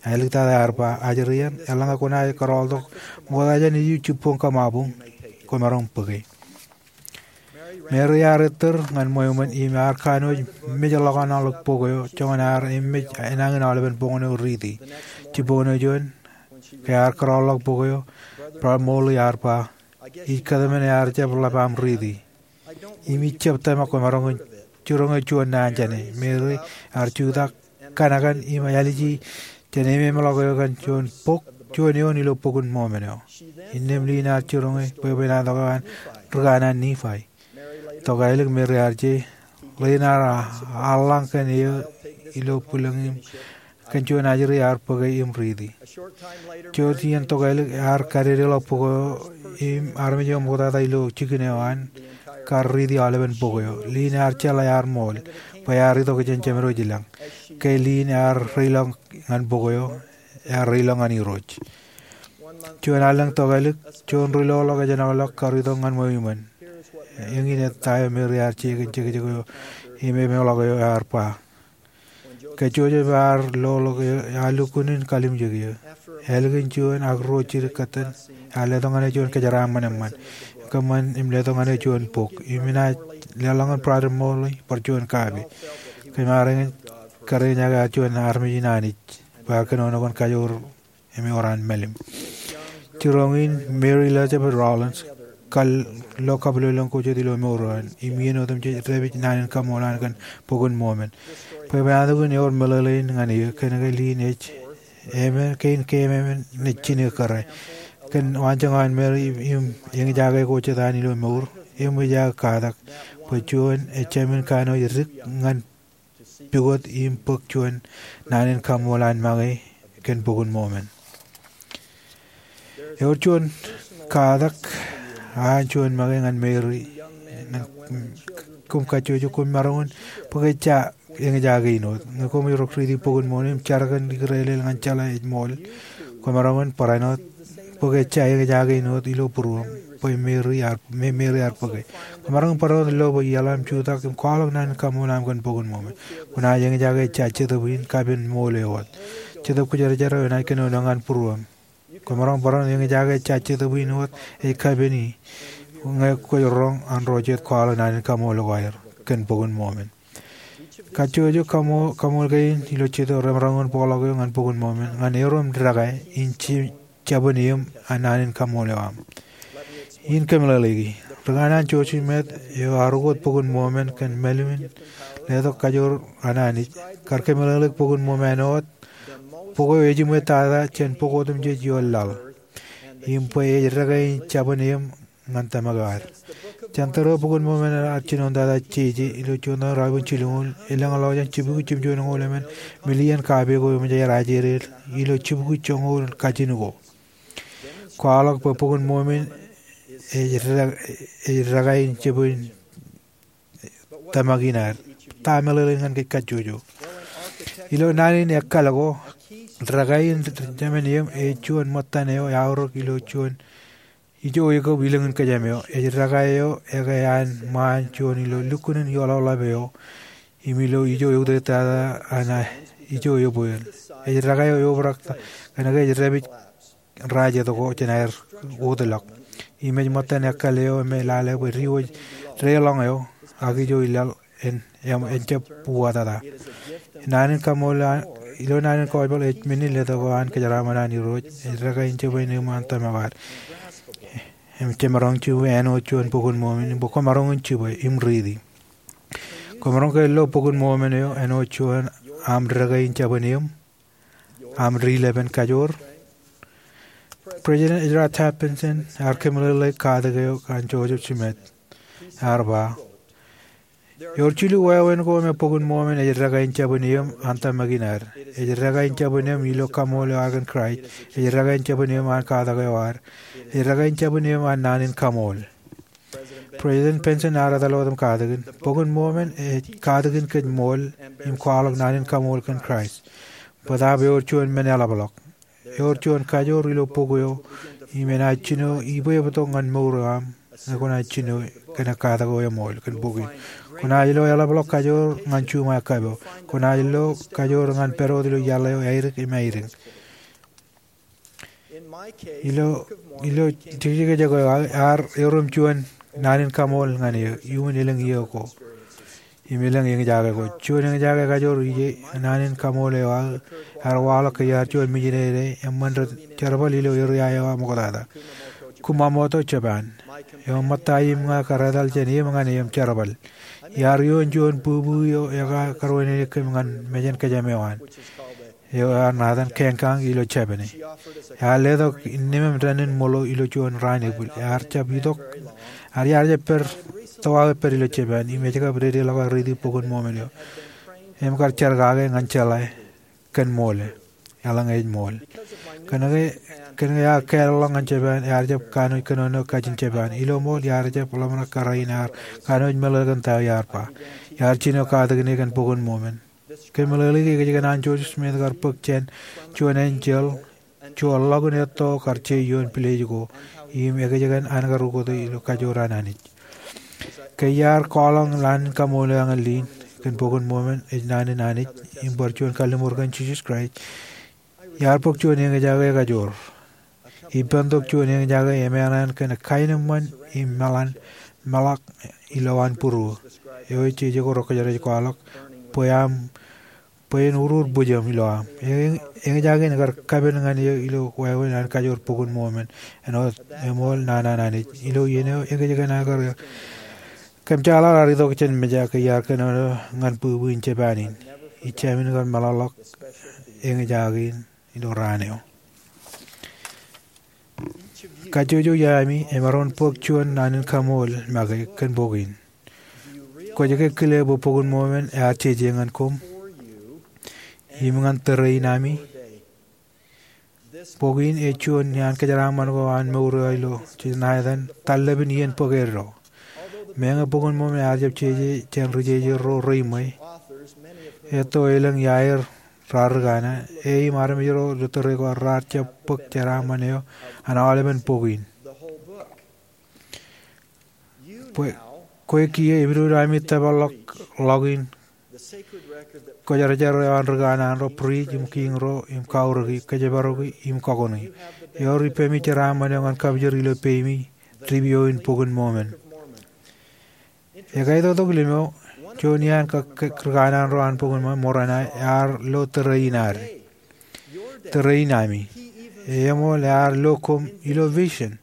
Āliktata ear ba, Ajri eṇ, eḷaññe kwōnaaj kōrọọltok ṃokta jān iju jibboñ kōṃabuñ, kwōmaroñ bōke. Mary ear ettōr ñan ṃweo ṃōn im ear kanooj mej ḷọk an aolep bok eo, joñan ear emej enañin aolepen boñōn eo riiti. Jibboñōn eo juon, ke ear kōrọọlḷọk bok eo, Brother Morley ear ba, Ij kōtmān ear jab ḷap aṃ riiti. Im ij jab tōmak kwōmaroñ jiroñ juon naan jāne. Mary ear jutak, kanakan im āliji jān ememḷọk eo kōn juon bok, juon eoon ilo Bok in Mōmen eo. Innām Lynn ear jiroñ bwebwenato eo an ri kanaan Nifai. Tokālik Mary ear je, Lynn ear eḷḷañ kōn eō ilo bwilōñ im kōn juon ajri ear bōke im riiti. Jouj iien tokālik ear kadedeḷọk bok eo im armej eo ṃoktata ilo jikin eo an kar riiti aolepen bok eo. Lynn ear jeḷā ear ṃool bwe ear itok jān jemedwōj ilañ. Ke Lynn ear reilọk ñan bok eo, ear reilọk ñan Irooj. Juon allōñ tokālik, juon ri-loḷọk ejjeḷọk kar itok ñan ṃweo iṃōn. Eñin ettā eo Mary ear je kōn jekjek eo im ememḷọk eo ear ba, Ke Joseph ear loḷọk eō, ear lukkuun in kalimjek eō. Ālikin juon ak ruo jidik kōttan, ear letok ñan eō juon kōjeraaṃṃan eṃṃan. Kōṃṃan im letok ñan eō juon bok. Im inaaj leḷọk ñan Brother Morley bar juon kape. Kōm ar eñin kar eñjake juon armej in Anij bwe ear kōnono kōn kajoor im ewōr an mālim. Jiroñ in Mary Elizabeth Rollins kar lo kabwilōñlōñ ko jet ilo mour eo an, im iien otemjej dāpij naan in kaṃṃool an kōn Bok in Mōmen. Bwebwenato in ewōr meḷeḷein ñan eō, kōnke Lynn ej emān, kein keemān ej jine kōrā. Kōn waanjoñak an Mary im eñjake ko jet an ilo mour, eṃōj aō katak bwe juon ejāmin kanooj dik ñan pukot im bōk juon naan in kaṃṃool an make kōn Bok in Mōmen. Ewōr juon katak an juon make ñan Mary, ñan koṃ kajjojo, koṃ maroñ in bōk ejja eñjake in wōt. Ñe koṃij rok riiti Bok in Mōmen im jar kōn ikūrelel ñan jeḷā ej ṃool, kwōmaroñ in barāinwōt bōk ejja eñjake in wōt ilo būruōṃ bwe Mary ear, me Mary ear bōke. Kwōmaroñ in barāinwōt lo bwe iaḷ aṃ jutak im kwaḷọk naan in kaṃṃool aṃ kōn Bok in Mōmen. Kwōnaaj eñjake ejja Jetōb in kapen ṃool eo wōt. Jetōb Kwōjarjar eo enaaj kōnono ñan būruōṃ. Kwōmaroñ barāinwōt eñjake ejja Jetōb in wōt ej kapen e ñe kwōj roñ an ro jet kwaḷọk naan in kaṃṃool ko aer kōn Bok in Mōmen. Kajjojo kaṃo-, kaṃool kein ilo Jetōb remaroñ in bōkḷọk eō ñan Bok in Mōmen, ñan erom dekā in je-, jabōn eō an naan in kaṃṃool eo aṃ. In kōmeḷeḷeiki, ri kanaan Joseph Smith eo ear ukōt Bok in Mōmen kōn mālim in letok kajoor an Anij, kar kōmeḷeḷeik Bok in Mōmen eo wōt, bok eo ejiṃwe tata jān bok otemjej ioon laḷ. Im bwe ej dekā in jabōn eō ñan tōmak eo ad. Jān tōre eo Bok in Mōmen ear jinoin tata jeje ilo juon raelep in jilñuul, elōñḷọk jān jibukwi jimjuon eñoul emān million kape ko eṃōj aer ajeded ilo jibukwi joñoul kajin ko. Kwaḷọk bwe Bok in Mōmen ej dekā, ej dekā in jabōn tōmak in ad. Ta meḷeḷein ñan kōj kajjojo? Ilo naan in ekkal ko, dekā in jabōn eō ej juon ṃōttan eo eaorōk ilo juon ijo ekōb ilōñ in kōjām eo. Ej dekā eo eke an ṃaan juon ilo lukkuun in ioḷaḷap eo im ilo ijo eutiej tata an ijo ebweel. Ej dekā eo eobrak kōnke ej dāpij raij etko jān aer wōtlọk. Im ej ṃōttan ekkal eo me lale bwe diwōj deḷọñ eo, ak ijo ilaḷ en, en jab uwaak tata. Naan in kaṃool ilo naan in gospel ej men in letok eo an kōjeraaṃṃan an Irooj. Ej dekā in jibwe neeṃ an tōmak eo ad. Im jemaroñ jibwe āinwōt juon bok in Mōmon, im bwe kwōmaroñ in jibwe im riiti. Kwōmaroñ ke lo bok in Mōmon eo āinwōt juon aṃ dekā in jibwe neeṃ, aṃ dilepen kajoor? President Ezra Taft Benson ear kōmeḷeḷeik katak eo an Joseph Smith. Ear ba, ewōr jilu wāween ko me bok in Mōmon ej dekā in jibwe neeṃ an tōmak in ad. Ej dekā in jibwe neeṃ ilo kaṃool eo ad kōn Kraist. Ej dekā in jibwe neeṃ an katak eo ad. Ej dekā in jibwe neeṃ an naan in kaṃool. President Benson ear etal wōt im katakin, bok in Mōmon ej katakin kōj ṃool im kwaḷọk naan in kaṃool kōn Kraist. Bōtaab ewōr juon men eḷapḷọk. Ewōr juon kajoor ilo bok eo im enaaj jino ibwebtok ñan mour eo aṃ ñe kwōnaaj jino kōn katak eo eṃool kōn bok in. Kwōnaaj lo eḷapḷọk kajoor ñan juṃae kab eo. Kwōnaaj lo kajoor ñan pād wōt ilo iaḷ eo aidik im aidik. Ilo, ilo jekjek eo aō, ear erom juon naan in kaṃool ñan eō, iuṃwin elōñ iiō ko. Im elōñ eñjake ko. Juon eñjake kajoor ije naan in kaṃool eo aō, ear waḷọk ke iar juon misineri eṃṃan ri jerbal ilo eria eo aṃ ṃoktata, Kumamoto, Japan. Eo ṃōtta im ña kar etal jān eō ñan eō im jerbal. Iar ioon juon bwibwi eo ekaarwōjṇe kōm ñan mejān kōjām eo an. Eo ear ṇa etan Kenkang ilo Jepane. Ear letok nemān dān in ṃōḷo ilo juon raan epūl. Ear jab itok, ear, ear jab pād, tōwaak pād ilo Jepān, im ej kab dedeḷọk aō riiti bok in Mōmon eo. Im kar jar kake ñan jeḷā kōn ṃool e. Eḷaññe ej ṃool. Kōnke, kōnke ear kālọk ñan Jepān, ear jab kanooj kōnono kajin Jepān. Ilo ṃool, iar jab ḷōmṇak kōrā in ear kanooj meḷeḷe kōn ta eo iar ba. Iar jino katakin e kōn bok in Mōmon. Kōmeḷeḷeiki ekōjkan an Joseph Smith kar bōk jān juon enjeḷ, juon ḷọk in etto kar je ioon pilej ko, im ekōjkan an kar ukōte ilo kajoor an Anij. Ke iar kwaḷọk naan in kaṃool eo ñan lin kōn bok in Mōmon ej naan in Anij, im bar juon kalliṃur kōn Jisōs Kraist, iar bōk juon eñjake kajoor. Ippān tok juon eñjake emeran kōn kaenōṃṃan im meḷan, meḷọk ilowaan būruō. Eo ej jeje ko rekwōjarjar ej kwaḷọk, bwe aṃ, bwe en urur bwijōṃ ilo aṃ. Eñ-, eñjake in kar kapen ñan eō ilo wāween an kajoor bok in Mōmon, āinwōt eṃool naan an Anij. Ilo iien eo, ekōjkan aō kar kōmjeḷaḷ ar itok jān mejā ke iar kōnono ñan bwibwi in Jepān in. Ij jāmin kar meḷọkḷọk eñjake in ilo raan eo. Kajjojo iaami emaroñ in bōk juon naan in kaṃool make kōn bok in. Kwōj ke kile bwe bok in Mōmon ear jeje ñan koṃ im ñan tōre in ami? Bok in ej juon iaan kōjeraaṃṃan ko an mour eo ilo jej ṇa etan tarlepin iien bōk eddo. Meñe bok in Mōmon ear jab jeje jān ri jeje ro reiṃwe, etto elōñ iaer raar ri kana, e im armej ro ilo tōre ko raar jab bōk jeraaṃṃan eo an aolepen bok in. Bwe, kwe kiiō epidodo ami tōpar ḷọk ḷọk in kwōjarjar eo an ri kanaan ro, priest im kiiñ ro, im kaurōki, kōjparoki, im kakoni. Ewōr ippemi jeraaṃṃan eo ñan kapijor ilo peimi, dipio in bok in Mōmon. Ekaitoktok limeo, juon iaan ka, ka, ri kanaan ro an bok in Mōmon, Moronai, ear lo tōre in ad. Tōre in ami. Eṃool ear lo koṃ ilo vision.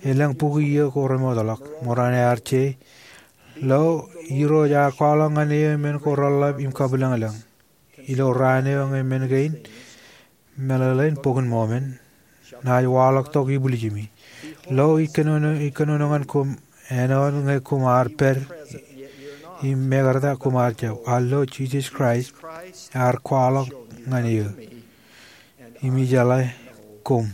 Elōñ bukwi iiō ko remootḷọk. Moronai ear je. Lo, Irooj ear kwaḷọk ñan eō men ko reḷḷap im kabwilōñlōñ. Ilo raan eo ñe men kein, meḷeḷein bok in Mōmon, naaj waḷọk tok ibwiljimi. Lo, ij kōnono, ij kōnono ñan koṃ āinwōt ñe koṃ ar pād, im mekarta koṃ ar jab. Ak lo, Jisōs Kraist ear kwaḷọk ñan eō. Im ijeḷā koṃ.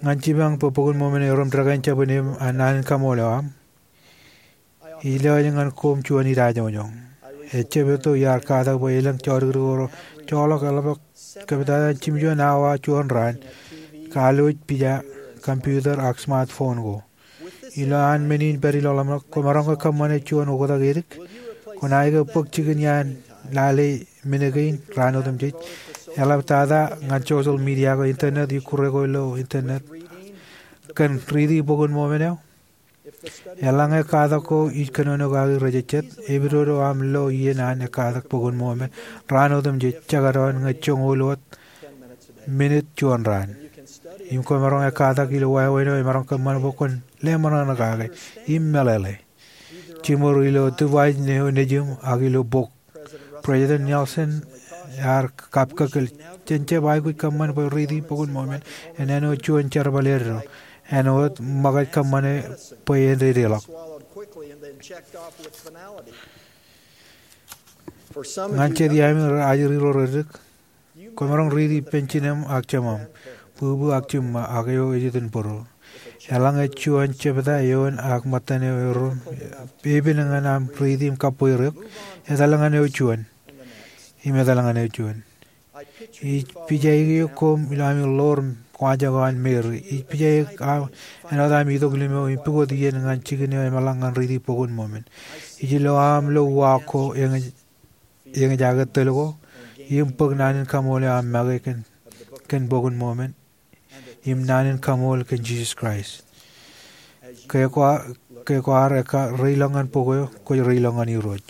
Ñan jipañ bwe bok in Mōmon erom dekā in jibwe neeṃ an naan in kaṃool eo aṃ, ij lewōj ñan koṃ juon idajoñjoñ. Ejjab etto iar katak bwe elōñ jodikdik ro joḷọk eḷapḷọk kōptata jimjuon awa juon raan, kalwōj pija, computer ak smartphone ko. Ilo an men in pād ilo ḷōmṇak, kwōmaroñ ke kōṃṃane juon oktak edik? Kwōnaaj ke bōk jikin iaan lale men kein raan otemjej? Eḷaptata ñan social media ko internet, ikkure ko ilo internet, kōn riiti Bok in Mōmen eo? Eḷaññe katak ko ij kōnono kaki rejejjet, epidodo aṃ lo iien an ekkatak Bok in Mōmen raan otemjej, jekdọọn ñe joñoul wōt minit juon raan. Im kwōmaroñ ekkatak ilo wāween eo emaroñ kōṃṃan bwe kwōn leṃōṇōṇō kake im meḷeḷe, jiṃor ilo device eo nejiṃ ak ilo bok. President Nelson ear kapkōkōl, jen jab aikuj kōṃṃan bwe riiti Bok in Mōmen en āinwōt juon jerbal eddo, āinwōt ṃōkaj kōṃṃane bwe en dedeḷọk. Ñan jet iaami rej ajri ro reddik, kwōmaroñ riiti ippān jinōm ak jemām, bwibwi ak jiṃṃa, ak eo ej itok in bōro. Eḷaññe juon jebta eoon ak ṃōttan eo erom epen ñan aṃ riiti im kabweer eok, etal ñan eo juon, im etal ñan eo juon. Ij pija eok koṃ ilo ami ḷoor waanjoñak an Meri. Ij pija eok āinwōt ami itok limo im pukot iien ñan jikin eo eṃōḷaak ñan riiti Bok in Mōmen. Ij lo aṃ lo uwaak ko eñjake tōl ko, im bōk naan in kaṃool eo aṃ make kōn, kōn Bok in Mōmen, im naan in kaṃool kōn Jisōs Kraist. Ke kwaar, ke kwaar ekka reilọk ñan bok eo, kwōj reilọk ñan Irooj.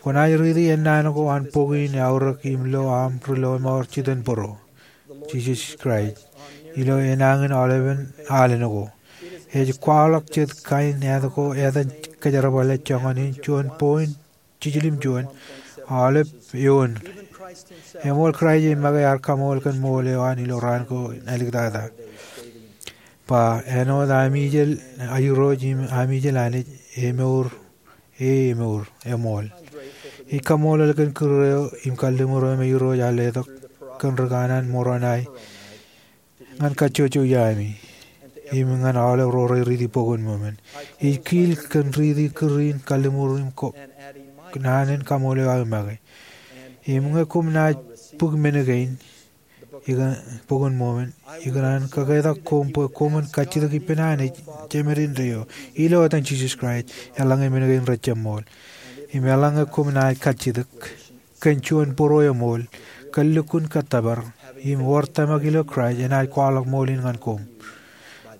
Kwōnaaj riiti ennaan ko an bok in eaorōk im lo aṃ ri lọmọọr jitōnbōro, Jisōs Kraist, ilo enañin aolepen alen ko. Ej kwaḷọk jet kain āt ko etan kōjerbale joñan in juon point jiljilimjuon aolep eoon. Eṃool Kraist ej make ear kaṃool kōn ṃool eo an ilo raan ko āliktata. Ba, āinwōt ami ijel Irooj im ami ijel Anij, emour, e emour, eṃool. Ij kaṃṃoolol kōn kūr eo im kalliṃur eo me Irooj ear letok kōn ri kanaan Moronae ñan kajjojo iaami im ñan aolep ro rej riiti Bok in Mōmen. Ij kiil kōn riiti kūr in kalliṃur im ko, naan in kaṃool eo aō make. Im ñe koṃ naaj bōk men kein, ikōn, Bok in Mōmen, ikōṇaan kaketak koṃ bwe koṃwin kajjitōk ippān Anij, Jemān indeeo, ilo etan Jisōs Kraist, eḷaññe men kein rejjab ṃool. Im eḷaññe koṃ naaj kajjitōk kōn juon bōro eṃool, kar lukkuun kōttōpar, im wōr tōmak ilo Kraist, enaaj kwaḷọk ṃool in ñan koṃ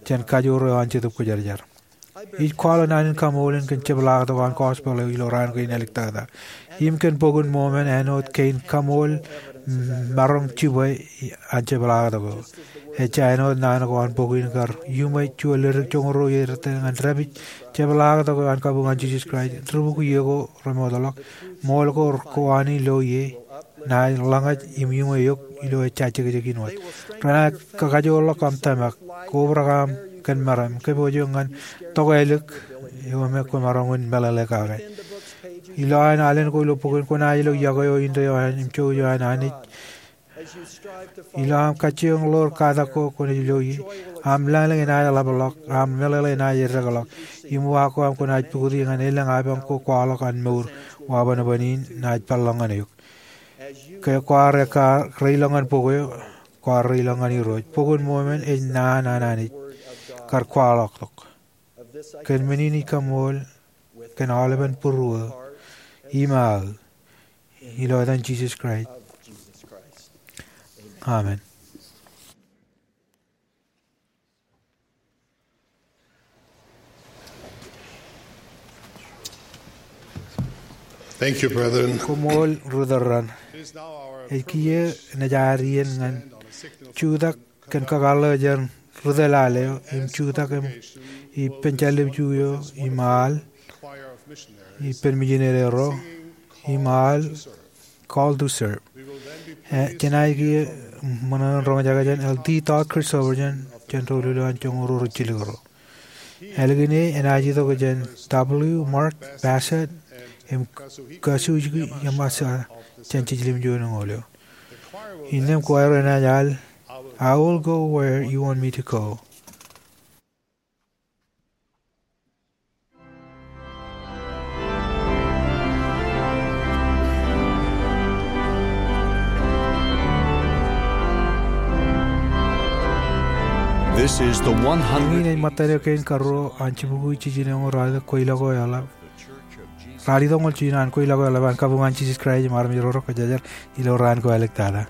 jān kajoor eo an Jetōb Kwōjarjar. Ij kwaḷọk naan in kaṃool in kōn jepḷaaktok an gospel eo ilo raan kein āliktata. Im kōn Bok in Mōmen āinwōt kein kaṃool maroñ jibwe an jepḷaaktok eo. Ejja āinwōt naan ko an bok in kar iuṃwij juon ledik joñoul ruo iiō rej tōl ñan dāpij jepḷaaktok eo an kabuñ an Jisōs Kraist, ri-bukwi iiō ko remootḷọk, ṃool ko kowaan in lo ie, naaj ḷōñaj im iuṃwij eok ilo ejja jekjek in wōt. Renaaj kakajoorḷọk aṃ tōmak, kobrak aṃ kōn meram, kōpoojo ñan tokālik eo me kwōmaroñ in meḷeḷe kake. Ilo aer alen ko ilo bok in, kwōnaaj lo iọkwe eo indeeo an im jouj eo an Anij. Ilo aṃ kajjioñ ḷoor katak ko kwōnaaj lo ie, aṃ lañlōñ enaaj ḷapḷọk, aṃ meḷeḷe enaaj eddekḷọk, im uwaak ko aṃ kwōnaaj pukoti ñan elōñ apañ ko kwaḷọk an mour, wabōnbōn in naaj peḷḷọk ñan eok. Ke kwaar ekka reilọk ñan bok eo, kwaar reilọk ñan Irooj. Bok in Mōmen ej naan an Anij, kar kwaḷọktok. Kōn men in ij kaṃool kōn aolepen būruō im aō, ilo etan Jisōs Kraist. Amen. Thank you, brethren. Koṃṃool ri-tōl raṇ. Ej kiiō naaj ad iien ñan jutak kōn kakōḷḷe jān ri-tōl al eo, im jutak im ippān jāllib ju eo, im al, ippān mijinede ro, im al, Call to Serve. E, jenaaj kiiō ṃōṇōṇō in roñjake jān Elder Todd Christofferson jān doulul eo an joñoul ruo rijjilōk ro. Ālikin e enaaj itok jān W. Mark Bassett im Kazuhiko Yamashita jān jiljilimjuon eñoul eo. Innām choir enaaj al, I Will Go Where You Want Me to Go. This is the one hundred. Eñin ej ṃōttan eo kein karuo an jibukwi jiljino eo raar itok kweilọk eo eḷap. Raar itok ṃool jiljino an kweilọk eo eḷap an kabuñ an Jisōs Kraist im armej ro rej kōjerajer ilo raan ko āliktata.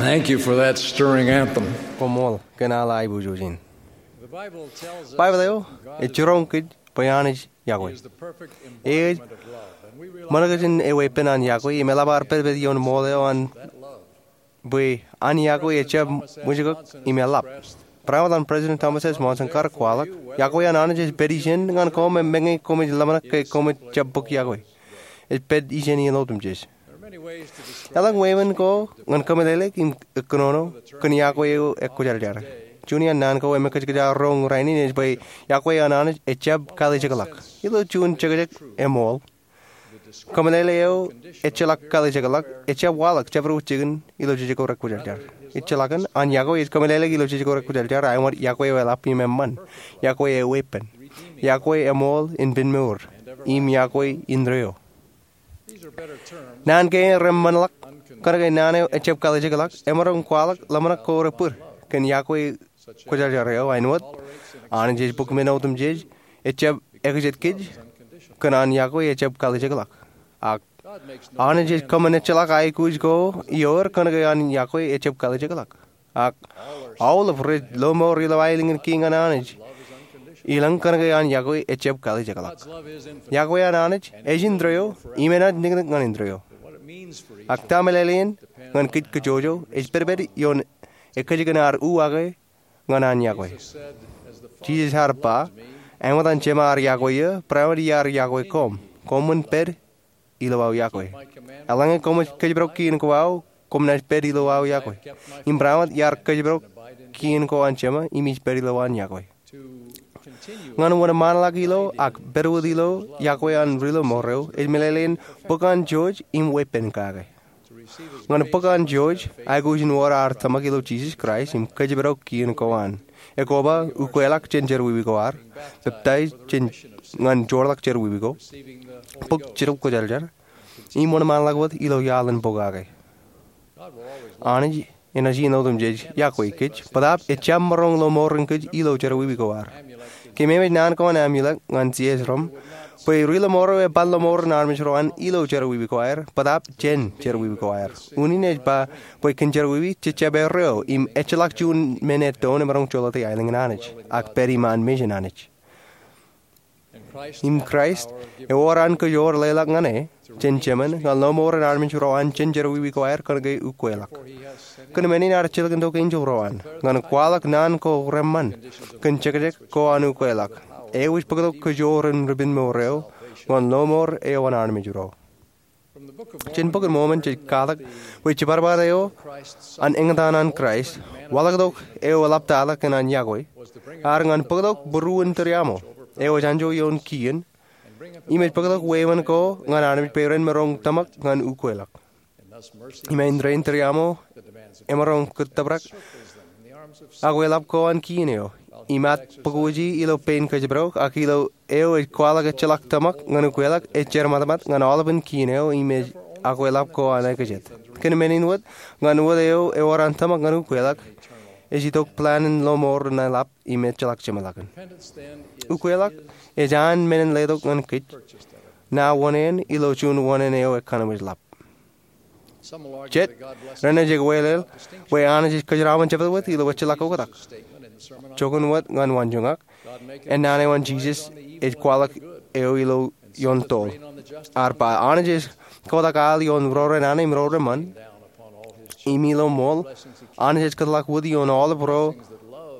Thank you for that stirring anthem. Koṃṃool kōn aḷ aiboojoj in. Baibōḷ eo ej jiroñ kōj bwe Anij yokwe. Ej ṃōṇōkjeṇ eweeppān an yokwe im eḷap ad pedped ioon ṃool eo an bwe an yokwe ejjab ṃwijkōk im eḷap. Barāinwōt an President Thomas S. Monson kar kwaḷọk, yokwe an Anij ej pād ijeṇ ñan koṃ meñe koṃij ḷōmṇak ke koṃij jab bōk yokwe. Ej pād ijeṇ iien otemjej. Eḷaññe eṃṃan ko ñan kōmeḷeḷeik im kōnono kōn yokwe eo ekwōjarjar. Juon iaan naan ko emmekōjkōj aō roñ rainin ej bwe yokwe an Anij ejjab kalijekḷọk. Ilo juon jekjek eṃool, kōmeḷeḷe eo ejjeḷọk kalijekḷọk ejjab waḷọk jabdewōt jikin ilo jej ko rekwōjarjar. Ejjeḷọkin an yokwe ej kōmeḷeḷeik ilo jej ko rekwōjarjar āinwōt yokwe eo eḷap im eṃṃan, yokwe eweeppān, yokwe eṃool in pen mour, im yokwe indeeo. Naan kein reṃṃanḷọk kōnke naan eo ejjab kalijekḷọk emaroñ kwaḷọk ḷōmṇak ko rej bōd kōn yokwe kwōjarjar eo āinwōt, Anij ej bōk men otemjej, ejjab ekijet kōj kōn an yokwe ejjab kalijekḷọk. Ak Anij ej kōṃṃan ejjeḷọk aikuj ko ioer kōnke an yokwe ejjab kalijekḷọk. Ak aolep rej lọmọọr ilo aelōñ in kiiñ an Anij ilañ kōnke an yokwe ejjab kalijekḷọk. Yokwe an Anij ej indeeo im enaaj niknik ñan indeeo. Ak ta meḷeḷein ñan kōj kōjwōjwōj ej pedped ioon ekkejkan ad uwaake ñan an yokwe. Jisōs ear ba, āinwōt an Jema ear yokwe eō, barāinwōt iar yokwe koṃ, koṃwin pād ilo aō yokwe. Eḷaññe koṃij kōjparok kien ko aō, koṃ naaj pād ilo aō yokwe. Im barāinwōt iar kōjparok kien ko an Jema im ij pād ilo an yokwe. Ñan wōnṃaanḷọk ilo ak pād wōt ilo yokwe an ri lọmọọr eo, ej meḷeḷein bōk an Jeje im weeppān kake. Ñan bōk an Jeje, aikuj in wōr ad tōmak ilo Jisōs Kraist im kōjparok kien ko an. Ekoba ukweḷọk jān jerọwiwi ko ad, peptaij jān ñan joorḷọk jerọwiwi ko, bōk Jetōb Kwōjarjar, im wōnṃaanḷọk wōt ilo iaḷ in pokake. Anij enaaj iien otemjej yokwe kōj, bōtaab ejjab maroñ lọmọọren kōj ilo jerọwiwi ko ad. Kōmeemej naan ko an Amulek ñan Zeezrom bwe ri lọmọọr eo eban lọmọọren armej ro an ilo jerọwiwi ko aer, bōtaab jān jerọwiwi ko aer. Unin ej ba bwe kōn jerọwiwi jejjab erreo im ejjeḷọk juon men ettoon emaroñ jolōte aelōñ in Anij, ak pād iṃaan mejān Anij. Im Kraist, ewōr an kōj wōr leḷọk ñan e, jān Jemān, ñan lọmọọren armej ro an jān jerọwiwi ko aer kōnke ukweḷọk. Kōn men in ear jilkintok enjeḷ ro an, ñan kwaḷọk naan ko reṃṃan, kōn jekjek ko an ukweḷọk, eo ej bōktok kōj wōr im ri-penmour eo, ñan lọmọọr eo an armej ro. Jān Bok in Mōmon jej katak bwe jibadbad eo an eñtaan an Kraist, waḷọktok eo eḷaptata kōn an yokwe, ear ñan bōktok būruon tūriaṃo, eo ej anjọ ioon kien, im ej bōktok wāween ko ñan armej bwe ren maroñ tōmak ñan ukweḷọk. Im āindein tūriaṃo emaroñ kōttōprak akweḷap ko an kien eo, im at bōkwoji ilo pein kōjparok, ak ilo eo ej kwaḷọk ejjeḷọk tōmak ñan ukweḷọk, ej jermatmat ñan aolepān kien eo im ej akweḷap ko an ekajet. Kōn men in wōt, ñan wōt eo ewōr an tōmak ñan ukweḷọk, ej itok plan in lọmọọr in eḷap im ejjeḷọk jeṃḷọkin. Ukweḷọk ej an men in letok ñan kōj, ṇa wōṇāān ilo juon wōṇāān eo ekanooj ḷap. Jet renaaj ekweḷeḷ bwe Anij ej kōjeraṃōn jebwebwe ilo ejjeḷọk oktak. Joñan wōt ñan waanjoñak, ennaan eo an Jisōs ej kwaḷọk eo ilo ioon toḷ, ear ba, Anij ej kotak al ioon ro renana im ro reṃṃan. Im ilo ṃool, Anij ej kōtḷọk wōt ioon aolep ro